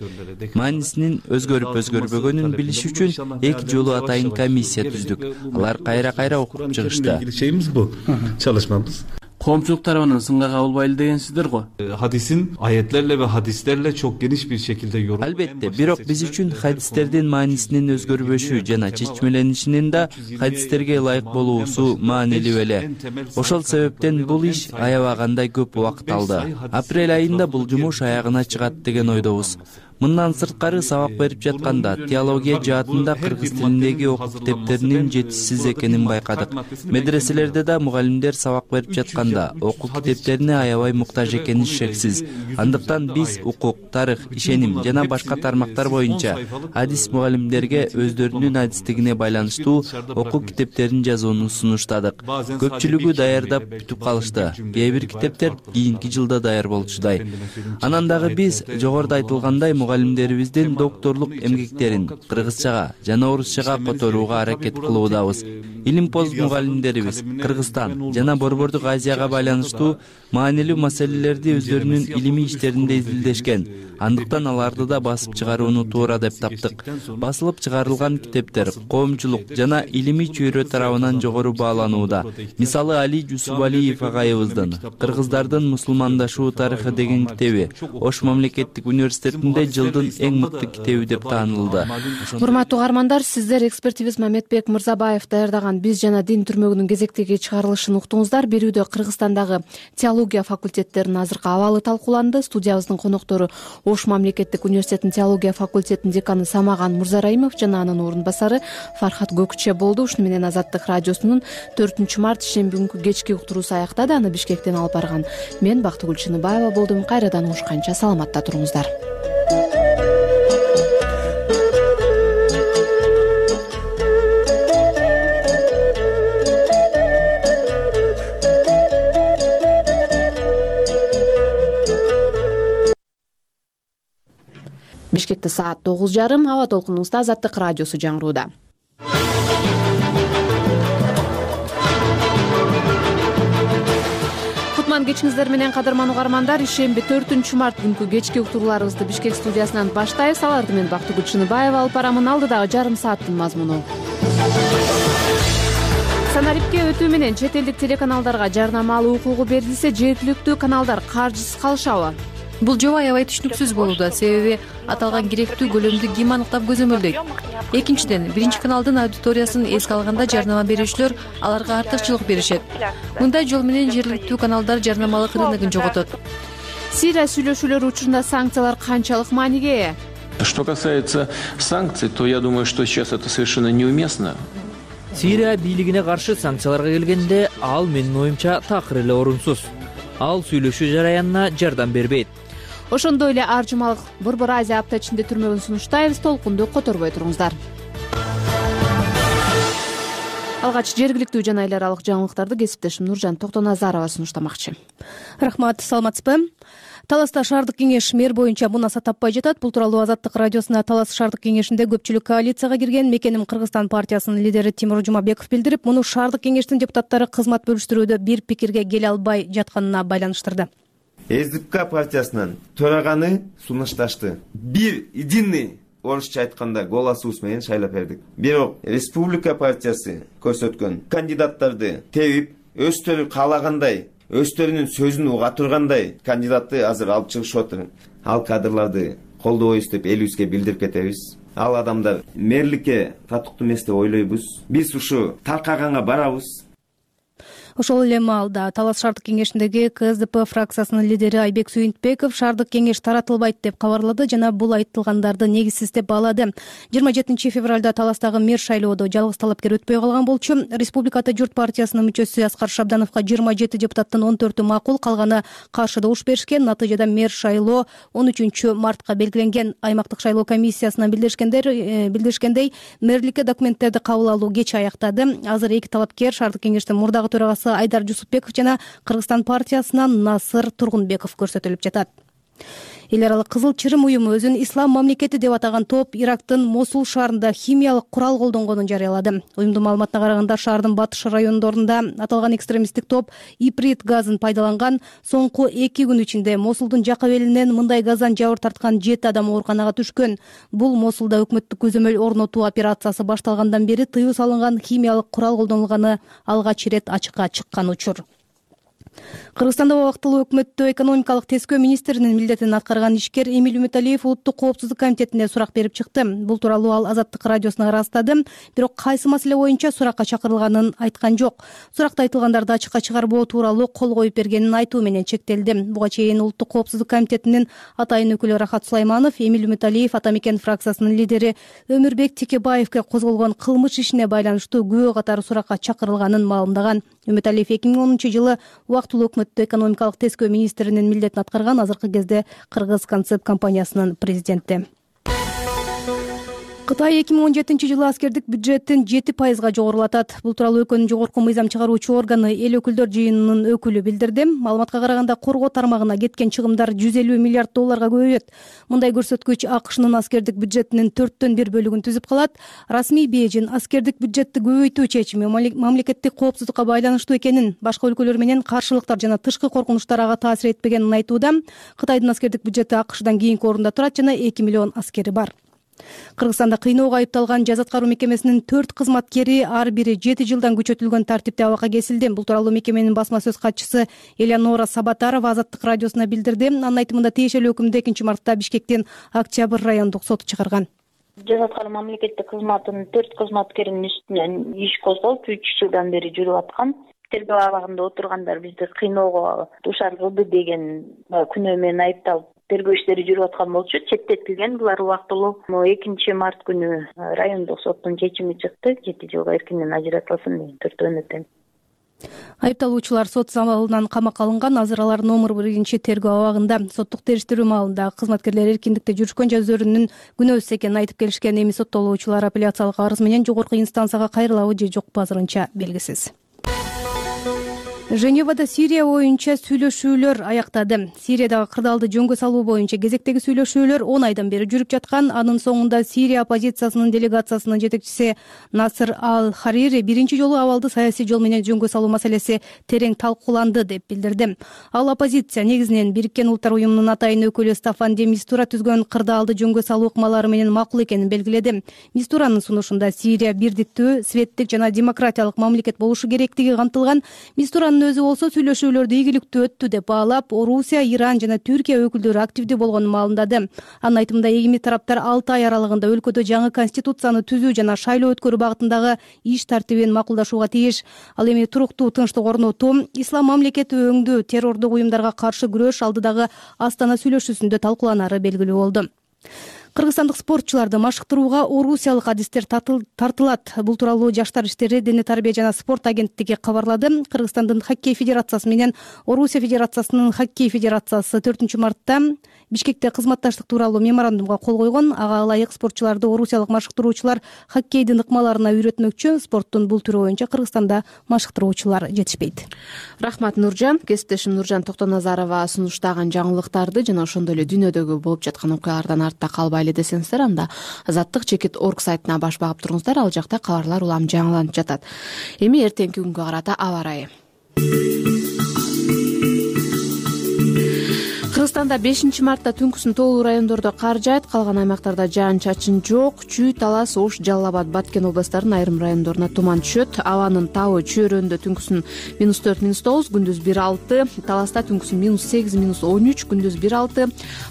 Маанисинин өзгөрүп өзгөрбөгөнүн билиш үчүн эки жолу атайын комиссия түздүк. Алар кайра-кайра окуп чыгышты. Şeyimiz bu. Çalışmamız. Коомчулук тарабынан сынга кабылбайлы дегенсиздер го. Hadisin ayetlerle ve hadislerle çok geniş bir şekilde yorum. Албетте, бирок биз үчүн хадистердин маанисинин өзгөрбөшү жана чечмеленишинин да хадистерге ылайык болуусу маанилүү эле. Ошол себептен бул иш аябагандай көп убакыт алды. Апрель айында бул жумуш аягына чыгат деген ойдобуз. Мындан сырткары сабак берип жатканда теология жаатында кыргыз тилиндеги окуу китептеринин жетишсиз экенин байкадык. Медреселерде да мугалимдер сабак берип жатканда окуу китептерине аябай муктаж экени шексиз. Андыктан биз укук, тарых, ишеним жана башка тармактар боюнча хадис мугалимдерге өздөрүнүн адистигине байланыштуу окуу китептерин жазууну сунуштадык. Көпчүлүгү даярдап бүтүп калышты. Кээ бир китептер кийинки жылда даяр болчудай. Анан дагы биз жогоруда айтылгандай мугалимдерибиздин докторлук эмгектерин кыргызчага жана орусчага которууга аракет кылуудабыз. Илимпоз мугалимдерибиз Кыргызстан жана Борбордук Азияга байланыштуу маанилүү маселелерди өздөрүнүн илимий иштеринде изилдешкен. Андыктан аларды да басып чыгарууну туура деп таптык. Басылып чыгарылган китептер коомчулук жана илимий чөйрө тарабынан жогору бааланууда. Мисалы Али Жусупалиев агайыбыздын Кыргыздардын мусулмандашуу тарыхы деген китеби Ош мамлекеттик университетинде жылдын эң мыкты китеби деп таанылды. Урматтуу угармандар, сиздер экспертибиз Мамедбек Мырзабаев даярдаган «Биз жана дин» түрмөгүнүн кезектеги чыгарылышын уктуңуздар. Берүүдө Кыргызстандагы теология факультеттеринин азыркы абалы талкууланды. Студиябыздын коноктору Ош мамлекеттик университетинин теология факультетинин деканы Самаган Мурзараимов жана анын орун басары Фархат Көкче болду. Ушуну менен Азаттык радиосунун төртүнчү март шемби күнкү кечки уктуруусу аяктады. Аны Бишкектен алып барган мен Бактыгүл Чыныбаева болдум. Кайрадан угушканча саламатта туруңуздар. Бишкекте саат тогуз жарым, аба толкунубузда Азаттык радиосу жаңырууда. Кутман кечиңиздер менен кадырман угармандар, ишемби төртүнчү март күнкү кечки уктурууларыбызды Бишкек студиясынан баштайбыз. Аларды мен Бактыгүл Чыныбаева алып барамын. Алдыдагы жарым сааттын мазмуну. Санарипке өтүү менен чет элдик телеканалдарга жарнама алуу укугу берилсе, жергиликтүү каналдар каржысыз калышабы? Бул жоба аябай түшүнүксүз болууда, себеби аталган керектүү көлөмдү ким аныктап көзөмөлдөйт? Экинчиден, биринчи каналдын аудиториясын эске алганда жарнама берүүчүлөр аларга артыкчылык беришет. Мындай жол менен жергиликтүү каналдар жарнамалык рыногун жоготот. Сирия сүйлөшүүлөрү учурунда санкциялар канчалык мааниге ээ? Что касается санкций, то я думаю, что сейчас это совершенно неуместно. Сирия бийлигине каршы санкцияларга келгенде, ал менин оюмча такыр эле орунсуз. Ал сүйлөшүү жараянына жардам бербейт. Ошондой эле ар жумалык Борбор Азия апта ичинде түрмөгүн сунуштайбыз. Толкунду которбой туруңуздар. Алгач жергиликтүү жана эл аралык жаңылыктарды кесиптешим Нуржан Токтоназарова сунуштамакчы. Рахмат, саламатсызбы? Таласта шаардык кеңеш мэр боюнча мунаса таппай жатат. Бул тууралуу Азаттык радиосуна Талас шаардык кеңешинде көпчүлүк коалицияга кирген Мекеним Кыргызстан партиясынын лидери Тимур Жумабеков билдирип, муну шаардык кеңештин депутаттары кызмат бөлүштүрүүдө бир пикирге келе албай жатканына байланыштырды. СДПК партиясынын төраганы сунушташты. Бир единый, орусча айтканда, голосубуз менен шайлап бердик. Бирок Республика партиясы көрсөткөн кандидаттарды тебип, өздөрү каалагандай, өздөрүнүн сөзүн уга тургандай кандидатты азыр алып чыгышып отур. Ал кадрларды колдобойбуз деп элибизге билдирип кетебиз. Ал адамдар мэрликке татыктуу эмес деп ойлойбуз. Биз ушу таркаганга барабыз. Ошол эле маалда Талас шаардык кеңешиндеги КСДП фракциясынын лидери Айбек Сүйүнтбеков шаардык кеңеш таратылбайт деп кабарлады жана бул айтылгандарды негизсиз деп баалады. жыйырма жетинчи февралда Таластагы мэр шайлоодо жалгыз талапкер өтпөй калган болчу. Республикада журт партиясынын мүчөсү Аскар Шабдановго жыйырма жети депутаттын он төртү макул, калганы каршы добуш беришкен. Натыйжада мэр шайлоо он үчүнчү мартка белгиленген. Аймактык шайлоо комиссиясынан билдиришкендер билдиришкендей, мэрликке документтерди кабыл алуу кеч аяктады. Азыр эки талапкер шаардык кеңештин мурдагы төрагасы Айдар Жусупбеков жана Кыргызстан партиясынан Насыр Тургунбеков көрсөтүлүп жатат. Эл аралык Кызыл Чырым уюму өзүн ислам мамлекети деп атаган топ Ирактын Мосул шаарында химиялык курал колдонгонун жарыялады. Уюмдун маалыматына караганда, шаардын батыш райондорунда аталган экстремисттик топ иприт газын пайдаланган. Соңку эки күн ичинде Мосулдун жак абелинен мындай газдан жабыр тарткан жети адам ооруканага түшкөн. Бул Мосулда өкмөттүк көзөмөл орнотуу операциясы башталгандан бери тыюу салынган химиялык курал колдонулганы алгач ирет ачыкка чыккан учур. Кыргызстанда убактылуу өкмөттө экономикалык тескөө министринин милдетин аткарган ишкер Эмиль Үмүталиев Улуттук коопсуздук комитетине сурак берип чыкты. Бул тууралуу ал Азаттык радиосуна ырастады. Бирок кайсы маселе боюнча суракка чакырылганын айткан жок. Суракта айтылгандарды ачыкка чыгарбоо тууралуу кол коюп бергенин айтуу менен чектелди. Буга чейин Улуттук коопсуздук комитетинин атайын өкүлү Рахат Сулайманов Эмиль Үмүталиев Ата Мекен фракциясынын лидери Өмүрбек Текебаевге козголгон кылмыш ишине байланыштуу күбө катары суракка чакырылганын маалымдаган. Үмүталиев эки миң онунчу жылы убактылуу өкмөттө экономикалык тескөө министринин милдетин аткарган, азыркы кезде Кыргыз концепт компаниясынын президенти. Кытай эки миң он жетинчи жылы аскердик бюджеттин жети пайызга жогорулатат. Бул тууралуу өлкөнүн жогорку мыйзам чыгаруучу органы эл өкүлдөр жыйынынын өкүлү билдирди. Маалыматка караганда, коргоо тармагына кеткен чыгымдар жүз элүү миллиард долларга көбөйөт. Мындай көрсөткүч АКШнын аскердик бюджетинин төрттөн бир бөлүгүн түзүп калат. Расмий Бейжин аскердик бюджетти көбөйтүү чечими мамлекеттик коопсуздукка байланыштуу экенин, башка өлкөлөр менен каршылыктар жана тышкы коркунучтар ага таасир этпегенин айтууда. Кытайдын аскердик бюджети АКШдан кийинки орунда турат жана эки миллион аскери бар. Кыргызстанда кыйноого айыпталган жаза аткаруу мекемесинин төрт кызматкери ар бири жети жылдан күчөтүлгөн тартипте абакка кесилди. Бул тууралуу мекеменин басма сөз катчысы Элеонора Сабатарова Азаттык радиосуна билдирди. Анын айтымында тиешелүү өкүмдү экинчи мартта Бишкектин Октябрь райондук соту чыгарган. Жаза аткаруу мамлекеттик кызматынын төрт кызматкеринин үстүнөн иш козголуп үч жылдан бери жүрүп аткан. Тергөө абагында отургандар бизди кыйноого дуушар кылды деген күнөө менен айыпталып тергөө иштери жүрүп аткан болчу. Четтетилген булар убактылуу. экинчи март күнү райондук соттун чечими чыкты. жети жылга эркинен ажыратылсын деген төртөөнөтөн. Айыпталуучулар сот залынан камакка алынган. Азыр алар номер биринчи тергөө абагында. Соттук териштирүү маалында кызматкерлер эркиндикте жүрүшкөн жана өздөрүнүн күнөөсүз экенин айтып келишкен. Эми соттолуучулар апелляциялык арыз менен жогорку инстанцияга кайрылабы же жокпу азырынча белгисиз. Женевада Сирия боюнча сүйлөшүүлөр аяктады. Сириядагы кырдаалды жөнгө салуу боюнча кезектеги сүйлөшүүлөр он айдан бери жүрүп жаткан. Анын соңунда Сирия оппозициясынын делегациясынын жетекчиси Насыр Ал-Харири биринчи жолу абалды саясий жол менен жөнгө салуу маселеси терең талкууланды деп билдирди. Ал оппозиция негизинен Бириккен Улуттар уюмунун атайын өкүлү Стафан де Мистура түзгөн кырдаалды жөнгө салуу ыкмалары менен макул экенин белгиледи. Мистуранын сунушунда Сирия бирдиктүү, светтик жана демократиялык мамлекет болушу керектиги камтылган. Мистуранын өзү болсо сүйлөшүүлөрдү ийгиликтүү өттү деп баалап, Орусия, Иран жана Түркия өкүлдөрү активдүү болгонун маалымдады. Анын айтымында эгими тараптар алты ай аралыгында өлкөдө жаңы конституцияны түзүү жана шайлоо өткөрүү багытындагы иш тартибин макулдашууга тийиш. Ал эми туруктуу тынчтык орнотуу, ислам мамлекети өңдүү, террордук уюмдарга каршы күрөш алдыдагы Астана сүйлөшүүсүндө талкууланары белгилүү болду. Кыргызстандык спортчуларды машыктырууга орусиялык адистер тартылат. Бул тууралуу Жаштар иштери, дене тарбия жана спорт агенттиги кабарлады. Кыргызстандын хоккей федерациясы менен Орусия федерациясынын хоккей федерациясы төртүнчү мартта Бишкекте кызматташтык тууралуу меморандумга кол койгон. Ага ылайык спортчуларды орусиялык машыктыруучулар хоккейдин ыкмаларына үйрөтмөкчү. Спорттун бул түрү боюнча Кыргызстанда машыктыруучулар жетишпейт. Рахмат Нуржан. Кесиптешим Нуржан Токтоназарова сунуштаган жаңылыктарды жана ошондой эле дүйнөдөгү болуп жаткан окуялардан артта калбайлы десеңиздер, анда азаттык чекит орг сайтына баш багып туруңуздар. Ал жакта кабарлар улам жаңыланып жатат. Эми эртеңки күнгө карата аба ырайы. Кыргызстанда бешинчи мартта түнкүсүн тоолуу райондордо кар жаайт, калган аймактарда жаан-чачын жок. Чүй, Талас, Ош, Жалал Абад, Баткен областарынын айрым райондоруна туман түшөт. Абанын табы чөйрөндө түнкүсүн минус төрт, минус тогуз, күндүз бир алты, Таласта түнкүсүн минус сегиз, минус он үч, күндүз бир алты,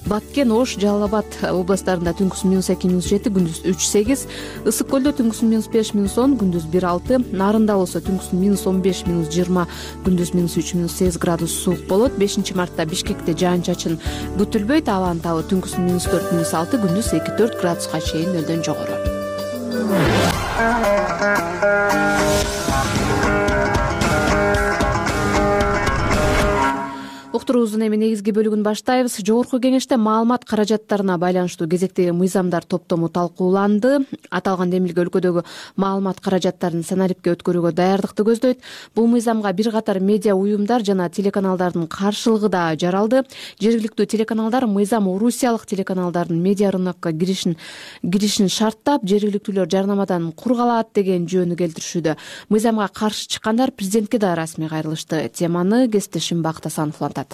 Баткен, Ош, Жалал Абад областарында түнкүсүн минус эки, минус жети, күндүз үч, сегиз, Ысык көлдө түнкүсүн минус беш, минус он, күндүз бир алты, Нарында болсо түнкүсүн минус он беш, минус жыйырма, күндүз минус үч, минус сегиз градус суук болот. бешинчи мартта Бишкекте жаан-чачын күтүлбөйт. Абанын табы түнкүсүн минус төрт, минус алты, күндүз эки төрт градуска чейин нөлдөн жогору. Уктуруубуздун эми негизги бөлүгүн баштайбыз. Жогорку кеңеште маалымат каражаттарына байланыштуу кезектеги мыйзамдар топтому талкууланды. Аталган демилге өлкөдөгү маалымат каражаттарын санарипке өткөрүүгө даярдыкты көздөйт. Бул мыйзамга бир катар медиа уюмдар жана телеканалдардын каршылыгы да жаралды. Жергиликтүү телеканалдар мыйзам орусиялык телеканалдардын медиа рынокко киришин киришин шарттап, жергиликтүүлөр жарнамадан кур калат деген жөөнү келтиришүүдө. Мыйзамга каршы чыккандар президентке да расмий кайрылышты. Теманы кесиптешим Бакыт Асанов улантат.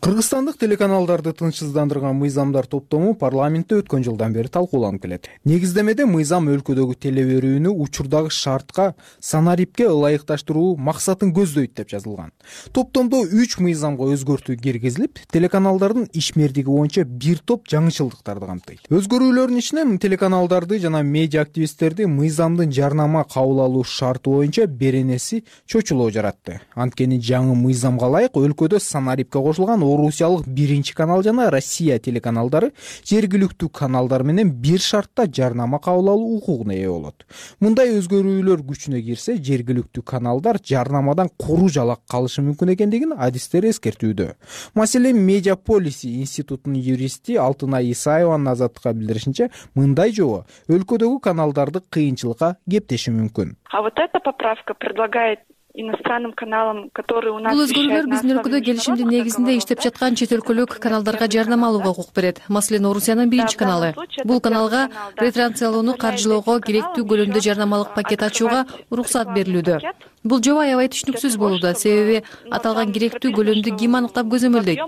Кыргызстандык телеканалдарды тынчсыздандырган мыйзамдар топтому парламентте өткөн жылдан бери талкууланып келет. Негиздемеде мыйзам өлкөдөгү теле берүүнү учурдагы шартка, санарипке ылайыкташтыруу максатын көздөйт деп жазылган. Топтомдо үч мыйзамга өзгөртүү киргизилип, телеканалдардын ишмердиги боюнча бир топ жаңычылдыктарды камтыйт. Өзгөрүүлөрдүн ичинен телеканалдарды жана медиа активисттерди мыйзамдын жарнама кабыл алуу шарты боюнча беренеси чочулоо жаратты. Анткени жаңы мыйзамга ылайык өлкөдө санарипке кошулган орусиялык биринчи канал жана Россия телеканалдары жергиликтүү каналдар менен бир шартта жарнама кабыл алуу укугуна ээ болот. Мындай өзгөрүүлөр күчүнө кирсе, жергиликтүү каналдар жарнамадан куру жалак калышы мүмкүн экендигин адистер эскертүүдө. Маселен, Медиа Полиси институтунун юристи Алтынай Исаеванын Азаттыкка билдиришинче, мындай жобо өлкөдөгү каналдарды кыйынчылыкка кептеши мүмкүн. А вот эта поправка предлагает иностранным каналам, которые у нас бул өзгөрүүлөр биздин өлкөдө келишимдин негизинде иштеп жаткан чет өлкөлүк каналдарга жарнама алууга укук берет. Маселен, Орусиянын биринчи каналы. Бул каналга ретрансляцияны каржылоого керектүү көлөмдө жарнамалык пакет ачууга уруксат берилүүдө. бул жоба аябай түшүнүксүз болууда, себеби аталган керектүү көлөмдү ким аныктап көзөмөлдөйт?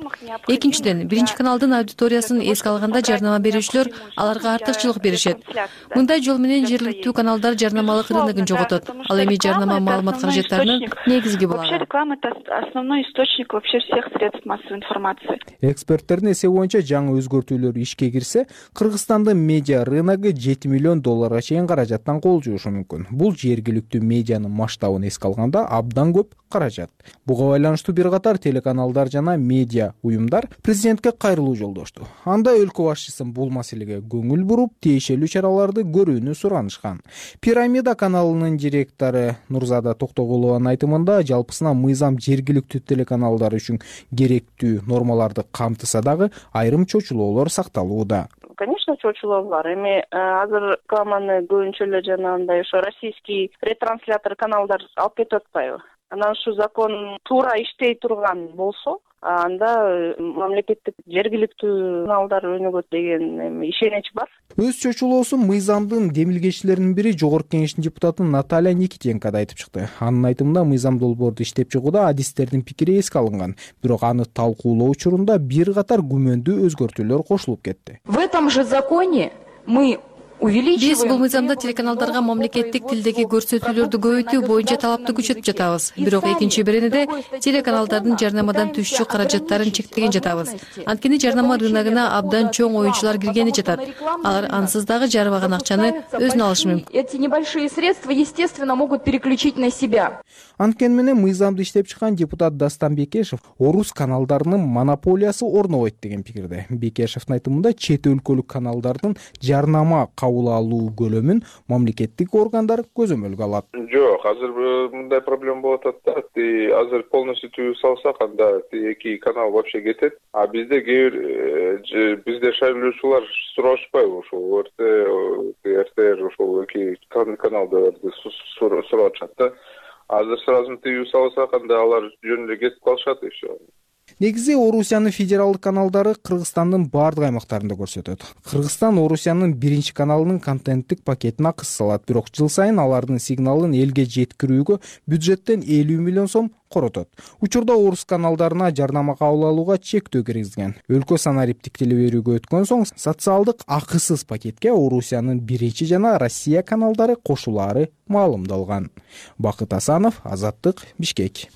Экинчиден, биринчи каналдын аудиториясын эске алганда жарнама берүүчүлөр аларга артыкчылык беришет. Мындай жол менен жергиликтүү каналдар жарнамалык рыногун жоготот. Ал эми жарнама маалымат каражаттарынын негизги булагы. Вообще реклама — это основной источник вообще всех средств массовой информации. Эксперттердин эсеби боюнча жаңы өзгөртүүлөр ишке кирсе, Кыргызстандын медиа рыногу жети миллион долларга чейин каражаттан кол жуушу мүмкүн. Бул жергиликтүү медианын масштабын эске алганда абдан көп каражат. Буга байланыштуу бир катар телеканалдар жана медиа уюмдар президентке кайрылуу жолдошту. Анда өлкө башчысын бул маселеге көңүл буруп, тиешелүү чараларды көрүүнү суранышкан. Пирамида каналынын директору Нурзада Токтогулованын айтымында, жалпысына мыйзам жергиликтүү телеканалдар үчүн керектүү нормаларды камтыса дагы айрым чочулоолор сакталууда. Конечно, чочулоо бар. Эми азыр рекламаны көбүнчө эле жанагындай ошо российский ретранслятор каналдар алып кетип атпайбы? Анан ушу закон туура иштей турган болсо, анда мамлекеттик жергиликтүү каналдар өнүгөт деген эми ишенич бар. Өз чочулоосун мыйзамдын демилгечилеринин бири Жогорку Кеңештин депутаты Наталья Никитенко да айтып чыкты. Анын айтымында, мыйзам долбоорду иштеп чыгууда адистердин пикири эске алынган, бирок аны талкуулоо учурунда бир катар күмөндүү өзгөртүүлөр кошулуп кетти. В этом же законе мы Биз бул мыйзамда телеканалдарга мамлекеттик тилдеги көрсөтүүлөрдү көбөйтүү боюнча талапты күчөтүп жатабыз. Бирок экинчи беренеде телеканалдардын жарнамадан түшчү каражаттарын чектеген жатабыз. Анткени жарнама рыногуна абдан чоң оюнчулар киргени жатат. Алар ансыз дагы жарбаган акчаны өзүнө алышы мүмкүн. Эти небольшие средства, естественно, могут переключить на себя. Анткени менен мыйзамды иштеп чыккан депутат Дастан Бекешев орус каналдарынын монополиясы орнобойт деген пикирде. Бекешевдин айтымында, чет өлкөлүк каналдардын жарнама кабыл алуу көлөмүн мамлекеттик органдар көзөмөлгө алат. Жок, азыр мындай проблема болуп атат да. Азыр полностью тийип салсак, анда эки канал вообще кетет. А бизде кээ бир бизде шайлоочулар сурашпайбы ошол О Р Т, Р Т Р ошол эки каналдарды сурап атышат да. Азыр сразу тийип салсак, анда алар жөн эле кетип калышат и все. Негизи Орусиянын федералдык каналдары Кыргызстандын бардык аймактарында көрсөтөт. Кыргызстан Орусиянын биринчи каналынын контенттик пакетине акыс салат, бирок жыл сайын алардын сигналын элге жеткирүүгө бюджеттен элүү миллион сом коротот. Учурда орус каналдарына жарнама кабыл алууга чектөө киргизген. Өлкө санариптик телеберүүгө өткөн соң социалдык акысыз пакетке Орусиянын биринчи жана Россия каналдары кошулаары маалымдалган. Бакыт Асанов, Азаттык, Бишкек.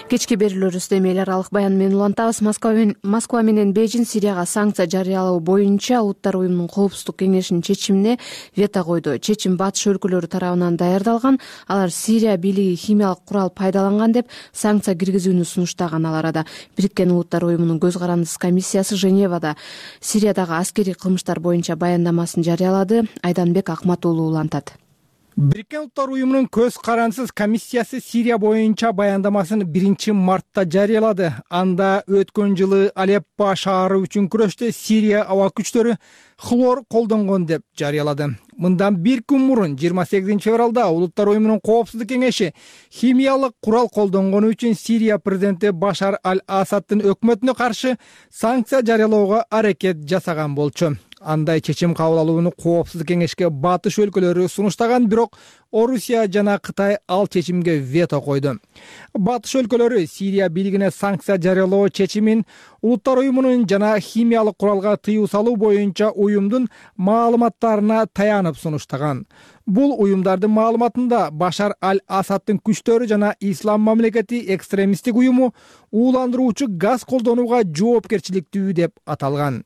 Кечки берүүлөрүбүздө эми эл аралык баян менен улантабыз. Москва менен Бейжин Сирияга санкция жарыялоо боюнча Улуттар уюмунун коопсуздук кеңешинин чечимине вето койду. Чечим батыш өлкөлөрү тарабынан даярдалган. Алар Сирия бийлиги химиялык курал пайдаланган деп санкция киргизүүнү сунуштаган. Ал арада Бириккен Улуттар уюмунун көз карандысыз комиссиясы Женевада Сириядагы аскерий кылмыштар боюнча баяндамасын жарыялады. Айданбек Акматуулу улантат. Бириккен Улуттар уюмунун көз карандысыз комиссиясы Сирия боюнча баяндамасын биринчи мартта жарыялады. Анда өткөн жылы Алеппо шаары үчүн күрөштө Сирия аба күчтөрү хлор колдонгон деп жарыялады. Мындан бир күн мурун жыйырма сегизинчи февралда Улуттар уюмунун коопсуздук кеңеши химиялык курал колдонгону үчүн Сирия президенти Башар аль-Асаддын өкмөтүнө каршы санкция жарыялоого аракет жасаган болчу. Андай чечим кабыл алууну коопсуздук кеңешке батыш өлкөлөрү сунуштаган, бирок Орусия жана Кытай ал чечимге вето койду. Батыш өлкөлөрү Сирия бийлигине санкция жарыялоо чечимин Улуттар уюмунун жана химиялык куралга тыюу салуу боюнча уюмдун маалыматтарына таянып сунуштаган. Бул уюмдардын маалыматында Башар аль-Асаддын күчтөрү жана Ислам мамлекети экстремисттик уюму ууландыруучу газ колдонууга жоопкерчиликтүү деп аталган.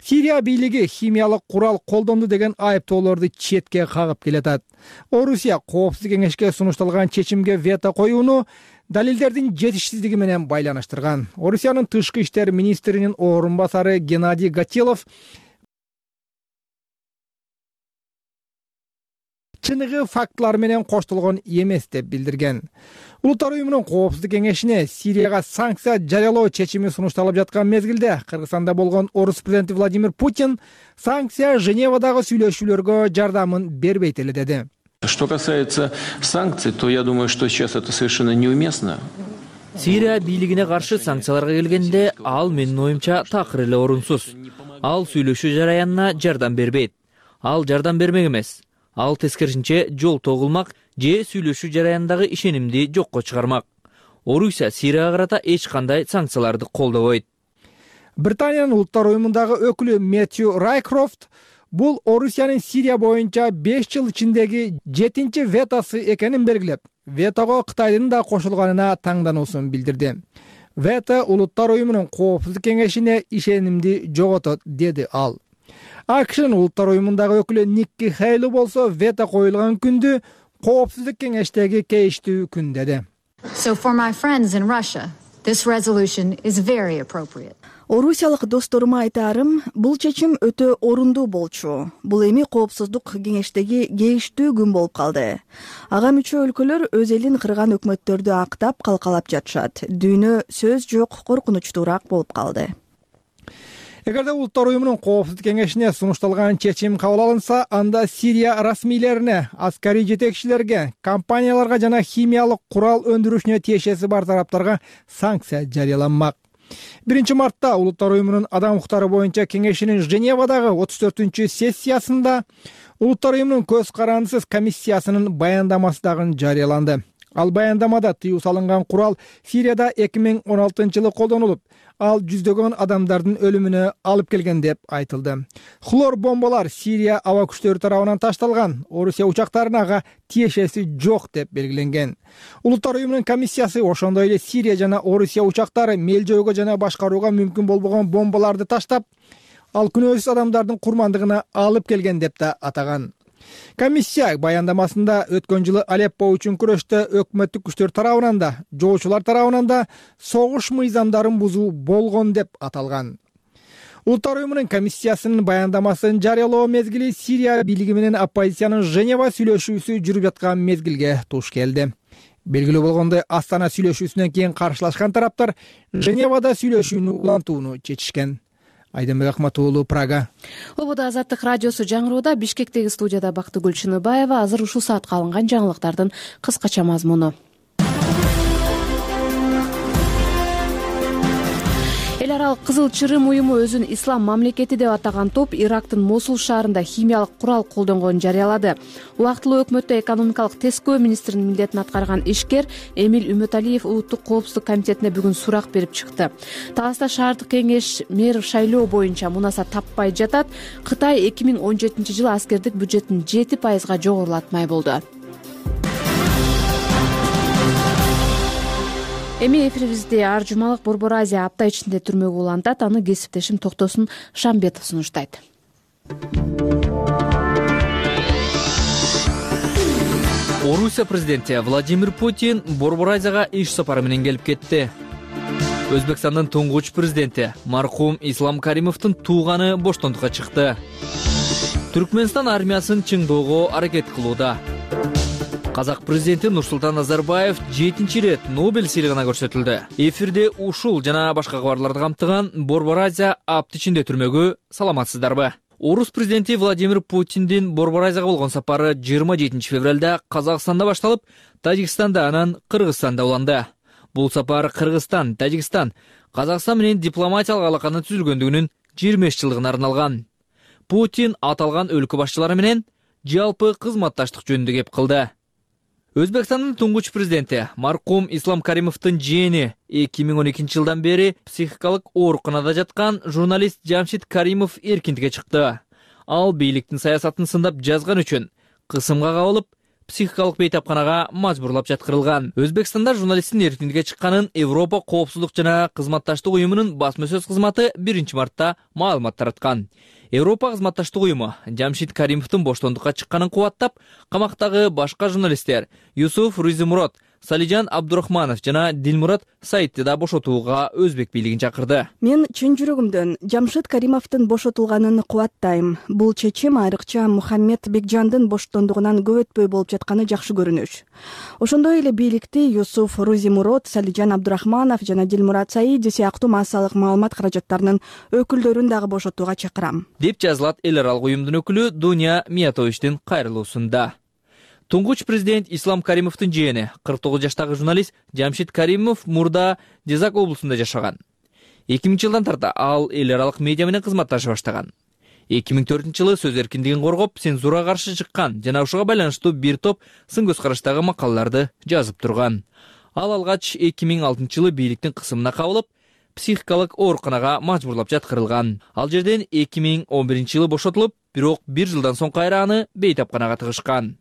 Сирия бийлиги химиялык курал колдонду деген айыптоолорду четке кагып келатат. Орусия коопсуздук кеңешке сунушталган чечимге вето коюуну далилдердин жетишсиздиги менен байланыштырган. Орусиянын тышкы иштер министринин орун басары Геннадий Гатилов чыныгы фактылар менен коштолгон эмес деп билдирген. Улуттар уюмунун коопсуздук кеңешине Сирияга санкция жарыялоо чечими сунушталып жаткан мезгилде Кыргызстанда болгон орус президенти Владимир Путин санкция Женевадагы сүйлөшүүлөргө жардамын бербейт эле деди. Что касается санкций, то я думаю, что сейчас это совершенно неуместно. Сирия бийлигине каршы санкцияларга келгенде ал менин оюмча такыр эле орунсуз. ал сүйлөшүү жараянына жардам бербейт. Ал жардам бермек эмес. Ал тескерисинче жол тогулмак же сүйлөшүү жараянындагы ишенимди жокко чыгармак. Орусия Сирияга карата эч кандай санкцияларды колдобойт. Британиянын улуттар уюмундагы өкүлү Мэтью Райкрофт бул Орусиянын Сирия боюнча беш жыл ичиндеги жетинчи ветосы экенин белгилеп, ветого Кытайдын да кошулганына таңдануусун билдирди. Вето улуттар уюмунун коопсуздук кеңешине ишенимди жоготот, деди ал. АКШнын улуттар уюмундагы өкүлү Никки Хейли болсо вето коюлган күндү коопсуздук кеңештеги кейиштүү күн деди. So for my friends in Russia, this resolution is very appropriate. Орусиялык досторума айтаарым, бул чечим өтө орундуу болчу. Бул эми коопсуздук кеңештеги кейиштүү күн болуп калды. Ага мүчө өлкөлөр өз элин кырган өкмөттөрдү актап калкалап жатышат. Дүйнө сөз жок, коркунучтуураак болуп калды. Эгерде улуттар уюмунун коопсуздук кеңешине сунушталган чечим кабыл алынса, анда Сирия расмийлерине, аскарий жетекчилерге, компанияларга жана химиялык курал өндүрүшүнө тиешеси бар тараптарга санкция жарыяланмак. биринчи мартта улуттар уюмунун адам укуктары боюнча кеңешинин Женевадагы отуз төртүнчү сессиясында улуттар уюмунун көз карандысыз комиссиясынын баяндамасы дагы жарыяланды. Ал баяндамада тыюу салынган курал Сирияда эки миң он алтынчы жылы колдонулуп, ал жүздөгөн адамдардын өлүмүнө алып келген деп айтылды. Хлор бомбалар Сирия аба күчтөрү тарабынан ташталган, Орусия учактарына ага тиешеси жок деп белгиленген. Улуттар уюмунун комиссиясы ошондой эле Сирия жана Орусия учактары мел жойгоо жана башкарууга мүмкүн болбогон бомбаларды таштап, ал күнөөсүз адамдардын курмандыгына алып келген деп да атаган. Комиссия баяндамасында өткөн жылы Алеппо үчүн күрөштө өкмөттүк күчтөр тарабынан да, жоочулар тарабынан да согуш мыйзамдарын бузуу болгон деп аталган. Улуттар уюмунун комиссиясынын баяндамасын жарыялоо мезгили Сирия бийлиги менен оппозициянын Женева сүйлөшүүсү жүрүп жаткан мезгилге туш келди. Белгилүү болгондой, Астана сүйлөшүүсүнөн кийин каршылашкан тараптар Женевада сүйлөшүүнү улантууну чечишкен. Айденбек Акматуулу, Прага. Ободо Азаттык радиосу жаңырууда. Бишкектеги студияда Бактыгүл Чыныбаева. Азыр ушул саатка алынган жаңылыктардын кыскача мазмуну. Эл аралык Кызыл Чырым уюму өзүн ислам мамлекети деп атаган топ Ирактын Мосул шаарында химиялык курал колдонгонун жарыялады. Убактылуу өкмөттө экономикалык тескөө министринин милдетин аткарган ишкер Эмил Үмөталиев улуттук коопсуздук комитетине бүгүн сурак берип чыкты. Таласта шаардык кеңеш мэр шайлоо боюнча мунаса таппай жатат. Кытай эки миң он жетинчи жылы аскердик бюджетин жети пайызга жогорулатмай болду. Эми эфирибизди Ар Жумалык Борбор Азия апта ичинде түрмөгө улантат. Аны кесиптешим Токтосун Шамбетов сунуштайт. Орусия президенти Владимир Путин Борбор Азияга иш сапары менен келип кетти. Өзбекстандын туңгуч президенти маркум Ислам Каримовдун тууганы боштондукка чыкты. Түркмөнстан армиясын чыңдоого аракет кылууда. Казак президенти Нурсултан Назарбаев жетинчи ирет Нобель сыйлыгына көрсөтүлдү. Эфирде ушул жана башка кабарларды камтыган Борбор Азия апта ичинде түрмөгү. Саламатсыздарбы? Орус президенти Владимир Путиндин Борбор Азияга болгон сапары жыйырма жетинчи февралда Казакстанда башталып, Тажикстанда анан Кыргызстанда уланды. Бул сапар Кыргызстан, Тажикстан, Казакстан менен дипломатиялык алаканын түзүлгөндүгүнүн жыйырма беш жылдыгына арналган. Путин аталган өлкө башчылары менен жалпы кызматташтык жөнүндө кеп кылды. Өзбекстандын туңгуч президенти маркум Ислам Каримовдун жээни эки миң он экинчи жылдан бери психикалык ооруканада жаткан журналист Жамшид Каримов эркиндикке чыкты. Ал бийликтин саясатын сындап жазган үчүн кысымга кабылып, психикалык бейтапканага мажбурлап жаткырылган. Өзбекстанда журналисттин эркиндикке чыкканын Европа коопсуздук жана кызматташтык уюмунун басма сөз кызматы биринчи мартта маалымат тараткан. Европа кызматташтык уюму Жамшид Каримовдун боштондукка чыкканын кубаттап, камактагы башка журналисттер Юсуф Рузимурод, Салижан Абдурахманов жана Дилмурат Саидти да бошотууга өзбек бийлигин чакырды. Мен чын жүрөгүмдөн Жамшид Каримовдун бошотулганын кубаттайм. Бул чечим айрыкча Мухаммед Бекжандын боштондугунан көп өтпөй болуп жатканы жакшы көрүнүш. Ошондой эле бийликти Юсуф Рузимурод, Салижан Абдурахманов жана Дилмурат Саиди сыяктуу массалык маалымат каражаттарынын өкүлдөрүн дагы бошотууга чакырам, деп жазылат эл аралык уюмдун өкүлү Дуня Миятовичтин кайрылуусунда. Туңгуч президент Ислам Каримовдун жээни кырк тогуз жаштагы журналист Жамшид Каримов мурда Жезак облусунда жашаган. эки миңинчи жылдан тарта ал эл аралык медиа менен кызматташа баштаган. эки миң төртүнчү жылы сөз эркиндигин коргоп, цензурага каршы чыккан жана ушуга байланыштуу бир топ сын көз караштагы макалаларды жазып турган. Ал алгач эки миң алтынчы жылы бийликтин кысымына кабылып, психикалык ооруканага мажбурлап жаткырылган. Ал жерден эки миң он биринчи жылы бошотулуп, бирок бир жылдан соң кайра аны бейтапканага тыгышкан.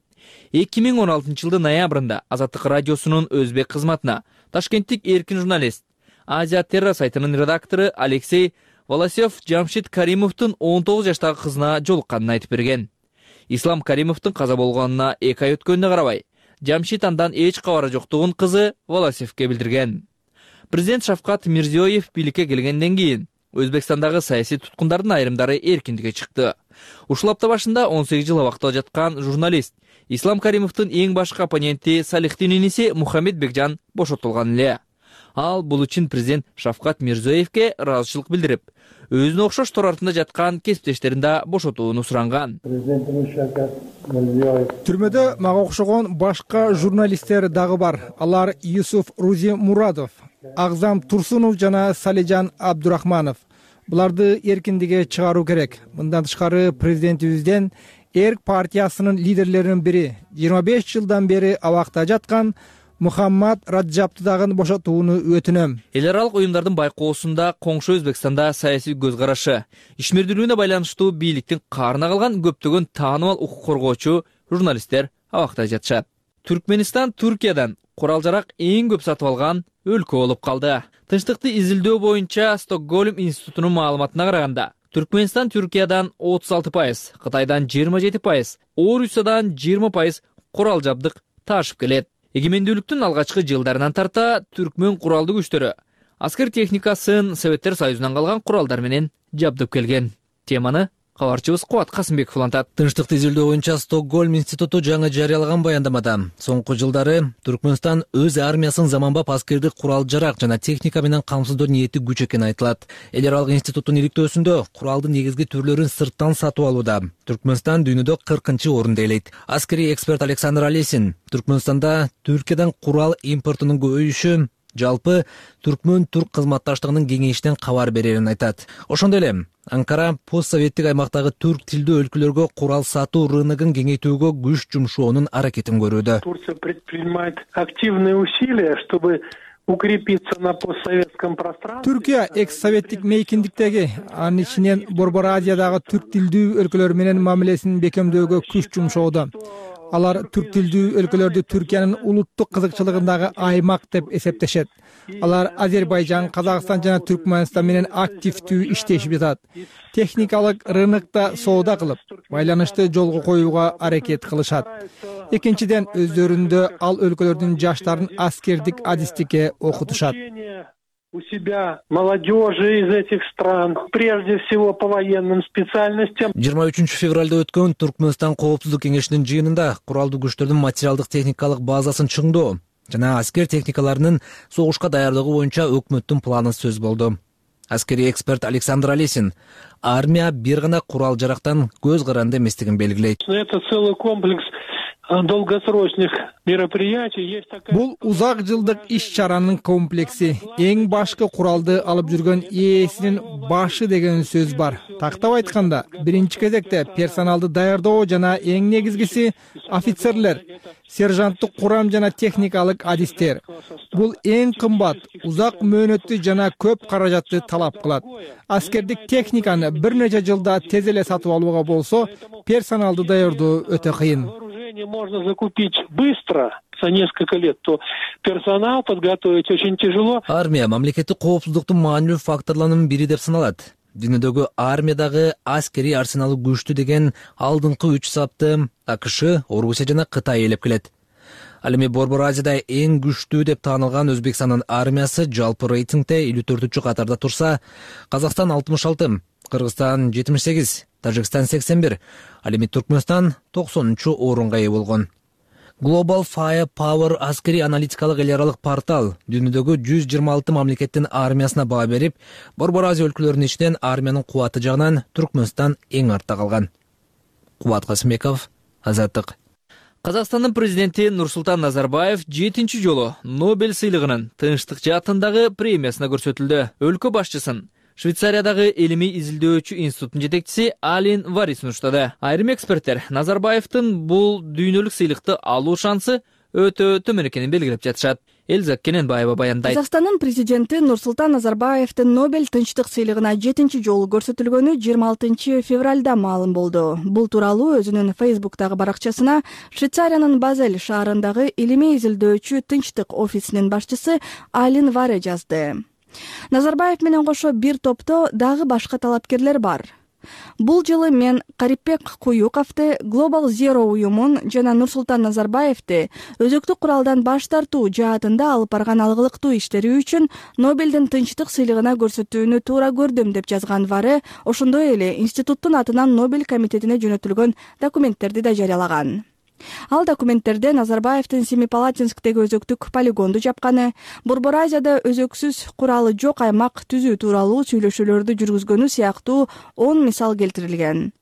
эки миң он алтынчы жылдын ноябрында Азаттык радиосунун өзбек кызматына ташкенттик эркин журналист, Азия Терра сайтынын редактору Алексей Волосев Жамшит Каримовдун он тогуз жаштагы кызына жолукканын айтып берген. Ислам Каримовдун каза болгонуна эки ай өткөнүнө карабай, Жамшит андан эч кабары жоктугун кызы Волосевке билдирген. Президент Шавкат Мирзиёев бийликке келгенден кийин Өзбекстандагы саясий туткундардын айрымдары эркиндикке чыкты. Ушул апта башында он сегиз жыл абакта жаткан журналист Ислам Каримовдун эң башкы оппоненти Салихтин иниси Мухаммед Бекжан бошотулган эле. Ал бул үчүн президент Шавкат Мирзиёевке ыраазычылык билдирип, өзүнө окшош тор артында жаткан кесиптештерин да бошотууну суранган. Түрмөдө мага окшогон башка журналисттер дагы бар. Алар Юсуф Рузи Мурадов, Агзам Турсунов жана Салижан Абдурахманов. Буларды эркиндикке чыгаруу керек. Мындан тышкары президентибизден Эрк партиясынын лидерлеринин бири жыйырма беш жылдан бери абакта жаткан Мухаммад Раджапты дагы бошотууну өтүнөм. Эл аралык уюмдардын байкоосунда коңшу Өзбекстанда саясий көз карашы, ишмердүүлүгүнө байланыштуу бийликтин каарына калган көптөгөн таанымал укук коргоочу журналисттер абакта жатышат. Түркменистан Түркиядан курал-жарак эң көп сатып алган өлкө болуп калды. Тынчтыкты изилдөө боюнча Стокгольм институтунун маалыматына караганда, Түркменистан Түркиядан отуз алты пайыз, Кытайдан жыйырма жети пайыз, Орусиядан жыйырма пайыз курал жабдык ташып келет. Эгемендүүлүктүн алгачкы жылдарынан тарта түркмөн куралдуу күчтөрү аскер техникасын Советтер Союзунан калган куралдар менен жабдып келген. Теманы кабарчыбыз Кубат Касымбеков улантат. Тынчтыкты изилдөө боюнча Стокгольм институту жаңы жарыялаган баяндамада соңку жылдары Түркмөнстан өз армиясын заманбап аскердик курал-жарак жана техника менен камсыздоо ниети күч экени айтылат. Эл аралык институттун иликтөөсүндө куралдын негизги түрлөрүн сырттан сатып алууда Түркмөнстан дүйнөдө кыркынчы орунда ээлейт. Аскерий эксперт Александр Алесин Түркмөнстанда Түркиядан курал импортунун көбөйүшү жалпы түркмөн түрк кызматташтыгынын кеңейишинен кабар берерин айтат. Ошондой эле Анкара постсоветтик аймактагы түрк тилдүү өлкөлөргө курал сатуу рыногун кеңейтүүгө күч жумшоонун аракетин көрүүдө. Турция предпринимает активные усилия, чтобы укрепиться на постсоветском пространстве. Түркия экс-советтик мейкиндиктеги, анын ичинен Борбор Азиядагы түрк тилдүү өлкөлөр менен мамилесин бекемдөөгө күч жумшоодо. Алар түрк тилдүү өлкөлөрдү Түркиянын улуттук кызыкчылыгындагы аймак деп эсептешет. Алар Азербайжан, Казакстан жана Түркмөнстан менен активдүү иштешип жатат. Техникалык рынокто соода кылып, байланышты жолго коюуга аракет кылышат. Экинчиден, өздөрүндө ал өлкөлөрдүн жаштарын аскердик адистикке окутушат. У себя молодежи из этих стран, прежде всего по военным специальностям. жыйырма үчүнчү февралда өткөн Түркмөнстан коопсуздук кеңешинин жыйынында куралдуу күчтөрдүн материалдык техникалык базасын чыңдоо жана аскер техникаларынын согушка даярдыгы боюнча өкмөттүн планы сөз болду. Аскерий эксперт Александр Алесин армия бир гана курал-жарактан көз каранды эместигин белгилейт. Это целый комплекс долгосрочных мероприятий. Бул узак жылдык иш-чаранын комплекси. Эң башкы куралды алып жүргөн ээсинин башы деген сөз бар. Тактап айтканда, биринчи кезекте персоналды даярдоо жана эң негизгиси офицерлер, сержанттык курам жана техникалык адистер. Бул эң кымбат, узак мөөнөттүү жана көп каражатты талап кылат. Аскердик техниканы бир нече жылда тез эле сатып алууга болсо, персоналды даярдоо өтө кыйын. Можно закупить быстро, за несколько лет, то персонал подготовить очень тяжело. Армия мамлекеттик коопсуздуктун маанилүү факторлорунун бири деп саналат. Дүйнөдөгү армиядагы аскери арсеналы күчтүү деген алдыңкы үч сапты АКШ, Орусия жана Кытай ээлеп келет. Ал эми Борбор Азияда эң күчтүү деп таанылган Өзбекстандын армиясы жалпы рейтингде элүү төртүнчү катарда турса, Казакстан алтымыш алты, Кыргызстан жетимиш сегиз, Тажикстан сексен бир, ал эми Түркмөнстан токсонунчу орунга ээ болгон. Global Firepower аскери аналитикалык эл аралык портал дүйнөдөгү жүз жыйырма алты мамлекеттин армиясына баа берип, Борбор Азия өлкөлөрүнүн ичинен армиянын кубаты жагынан Түркмөнстан эң артта калган. Кубат Касымбеков, Азаттык. Казакстандын президенти Нурсултан Назарбаев жетинчи жолу Нобель сыйлыгынын тынчтык жаатындагы премиясына көрсөтүлдү. Өлкө башчысын Швейцариядагы илимий изилдөөчү институттун жетекчиси Алин Вари сунуштады. Айрым эксперттер Назарбаевдин бул дүйнөлүк сыйлыкты алуу шансы өтө төмөн экенин белгилеп жатышат. Элзак Кененбаева баяндайт. Казакстандын президенти Нурсултан Назарбаевдин Нобель тынчтык сыйлыгына жетинчи жолу көрсөтүлгөнү жыйырма алтынчы февралда маалым болду. Бул тууралуу өзүнүн Фейсбуктагы баракчасына Швейцариянын Базель шаарындагы илимий изилдөөчү тынчтык офисинин башчысы Алин Варе жазды. Назарбаев менен кошо бир топто дагы башка талапкерлер бар. Бул жылы мен Карипбек Куюковду, Global Zero уюмун жана Нурсултан Назарбаевди өзөктүк куралдан баш тартуу жаатында алып барган алгылыктуу иштери үчүн Нобелдин тынчтык сыйлыгына көрсөтүүнү туура көрдүм деп жазган Варе ошондой эле институттун атынан Нобель комитетине жөнөтүлгөн документтерди да жарыялаган. Ал документтерде Назарбаевдин Семипалатинсктеги өзөктүк полигонду жапканы, Борбор Азияда өзөксүз куралы жок аймак түзүү тууралуу сүйлөшүүлөрдү жүргүзгөнү сыяктуу он мисал келтирилген.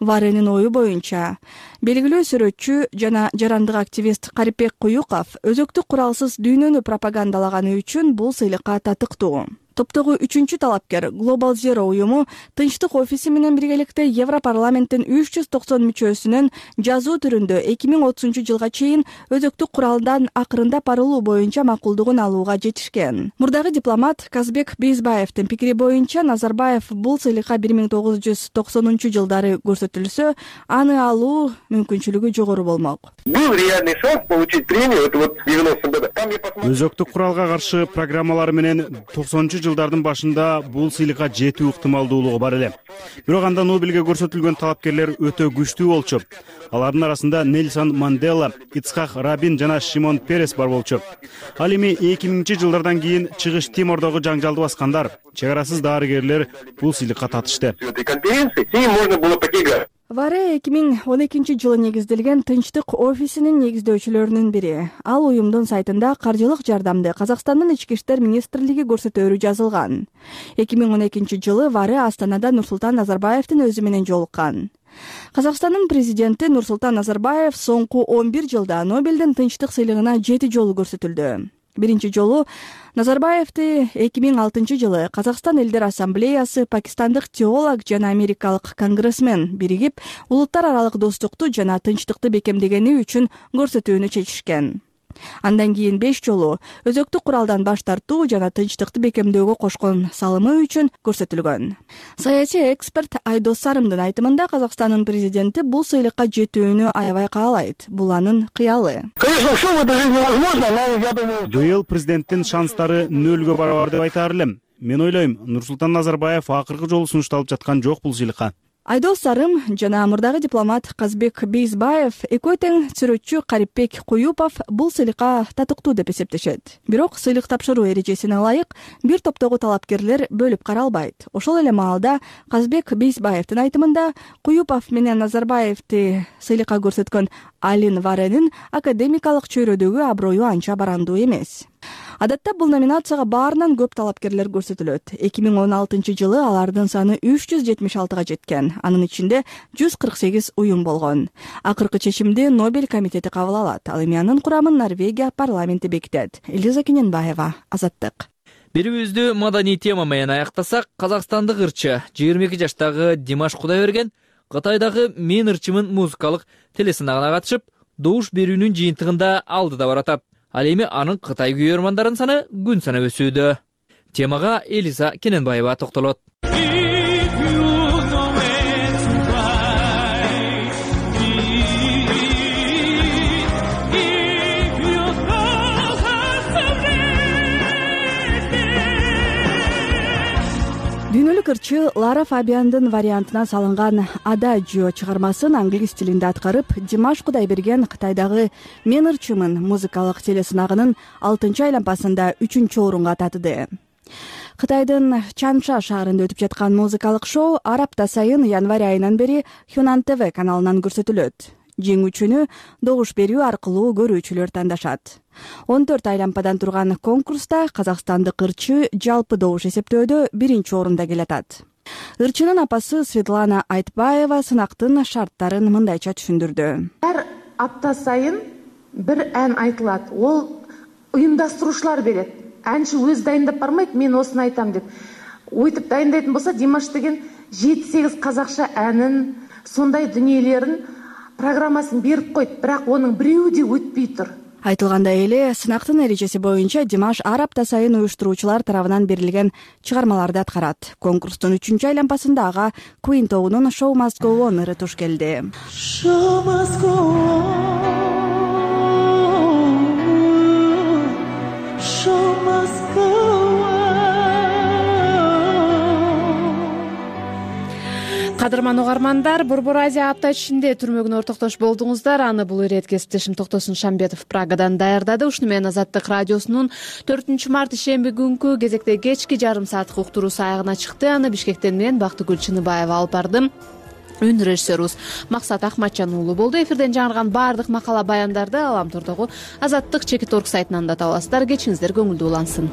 Варенин ою боюнча, белгилүү сүрөтчү жана жарандык активист Карипбек Куюков өзөктүк куралсыз дүйнөнү пропагандалаганы үчүн бул сыйлыкка татыктуу. Топтогу үчүнчү талапкер Global Zero уюму тынчтык офиси менен биргеликте Европарламенттин үч жүз токсон мүчөсүнүн жазуу түрүндө эки миң отузунчу жылга чейин өзөктүк куралдан акырындап арылуу боюнча макулдугун алууга жетишкен. Мурдагы дипломат Казбек Бейзбаевдин пикири боюнча Назарбаев бул сыйлыкка бир миң тогуз жүз токсонунчу жылдары көрсөтүлсө, аны алуу мүмкүнчүлүгү жогору болмок. Был реальный шанс получить премию, это вот девяностых годах. Өзөктүк куралга каршы программалар менен токсонунчу жылдардын башында бул сыйлыкка жетүү ыктымалдуулугу бар эле. Бирок анда Нобелге көрсөтүлгөн талапкерлер өтө күчтүү болчу. Алардын арасында Нельсон Мандела, Ицхак Рабин жана Шимон Перес бар болчу. Ал эми эки миңинчи жылдардан кийин Чыгыш Тимордогу жаңжалды баскандар, чек арасыз дарыгерлер бул сыйлыкка татышты. Варе эки миң он экинчи жылы негизделген тынчтык офисинин негиздөөчүлөрүнүн бири. Ал уюмдун сайтында каржылык жардамды Казакстандын ички иштер министрлиги көрсөтөөрү жазылган. эки миң он экинчи жылы Варе Астанада Нурсултан Назарбаевдин өзү менен жолуккан. Казакстандын президенти Нурсултан Назарбаев соңку он бир жылда Нобелдин тынчтык сыйлыгына жети жолу көрсөтүлдү. Биринчи жолу Назарбаевди эки миң алтынчы жылы Казакстан Элдер Ассамблеясы, пакистандык теолог жана америкалык конгрессмен биригип, улуттар аралык достукту жана тынчтыкты бекемдегени үчүн көрсөтүүнү чечишкен. Андан кийин беш жолу өзөктүк куралдан баш тартуу жана тынчтыкты бекемдөөгө кошкон салымы үчүн көрсөтүлгөн. Саясий эксперт Айдос Сарымдын айтымында Казакстандын президенти бул сыйлыкка жетүүнү аябай каалайт. Бул анын кыялы. Быйыл президенттин шанстары нөлгө барабар деп айтаар элем. Мен ойлойм, Нурсултан Назарбаев акыркы жолу сунушталып жаткан жок бул сыйлыкка. Айдос Сарым жана мурдагы дипломат Казбек Бейзбаев, экөө тең сүрөтчү Карипбек Куюков бул сыйлыкка татыктуу деп эсептешет. Бирок сыйлык тапшыруу эрежесине ылайык бир топтогу талапкерлер бөлүп каралбайт. Ошол эле маалда Казбек Бейзбаевдин айтымында Куюков менен Назарбаевди сыйлыкка көрсөткөн Алин Варенин академикалык чөйрөдөгү аброю анча барандуу эмес. Адатта бул номинацияга баарынан көп талапкерлер көрсөтүлөт. эки миң он алтынчы жылы алардын саны үч жүз жетимиш алтыга жеткен. Анын ичинде жүз кырк сегиз уюм болгон. Акыркы чечимди Нобель комитети кабыл алат. Ал эми анын курамын Норвегия парламенти бекитет. Элиза Кененбаева, Азаттык. Берүүбүздү маданий тема менен аяктасак, казакстандык ырчы жыйырма эки жаштагы Димаш Кудайберген Кытайдагы Мен ырчымын музыкалык телесынагына катышып, добуш берүүнүн жыйынтыгында алдыда баратат. Ал эми анын Кытай күйөрмандарынын саны күн санап өсүүдө. Темага Элиза Кененбаева токтолот. Дүйнөлүк ырчы Лара Фабиандын вариантына салынган Адажио чыгармасын англис тилинде аткарып, Димаш Кудайберген Кытайдагы Мен ырчымын музыкалык телесынагынын алтынчы айлампасында үчүнчү орунга татыды. Кытайдын Чанша шаарында өтүп жаткан музыкалык шоу ар апта сайын январь айынан бери Хюнан ТВ каналынан көрсөтүлөт. Жеңүүчүнү добуш берүү аркылуу көрүүчүлөр тандашат. он төрт айлампадан турган конкурста казакстандык ырчы жалпы добуш эсептөөдө биринчи орунда келатат. Ырчынын апасы Светлана Айтбаева сынактын шарттарын мындайча түшүндүрдү. апта сайын бир ән айтылат. Ол уюмдаштыруучулар берет. Әнчи өзү дайындап бармайт, мен осуну айтам деп. Ойтуп дайындайтын болса, Димаш деген жети сегиз казакча әнин, сондай дүниелерин программасын берип койт, бирок онун бирөө да өтпөй тур. Айтылгандай эле, сынактын эрежеси боюнча Димаш ар апта сайын уюштуруучулар тарабынан берилген чыгармаларды аткарат. Конкурстун үчүнчү айланпасында ага Queen тобунун Show Must Go On ыры туш келди. Show must go on. Show must go on. Кадырман угармандар, Борбор Азия апта ичинде түрмөгүн ортоктош болдуңуздар. Аны бул ирет кесиптешим Токтосун Шамбетов Прагадан даярдады. Ушуну менен Азаттык радиосунун төртүнчү март ишемби күнкү кезекте кечки жарым сааттык уктуруусу аягына чыкты. Аны Бишкектен мен Бактыгүл Чыныбаева алып бардым. Үн режиссерубуз Максат Акматжан уулу болду. Эфирден жаңырган баардык макала баяндарды Аламтордогу Азаттык чекит орг сайтынан да таба аласыздар. Кечиңиздер көңүлдүү улансын.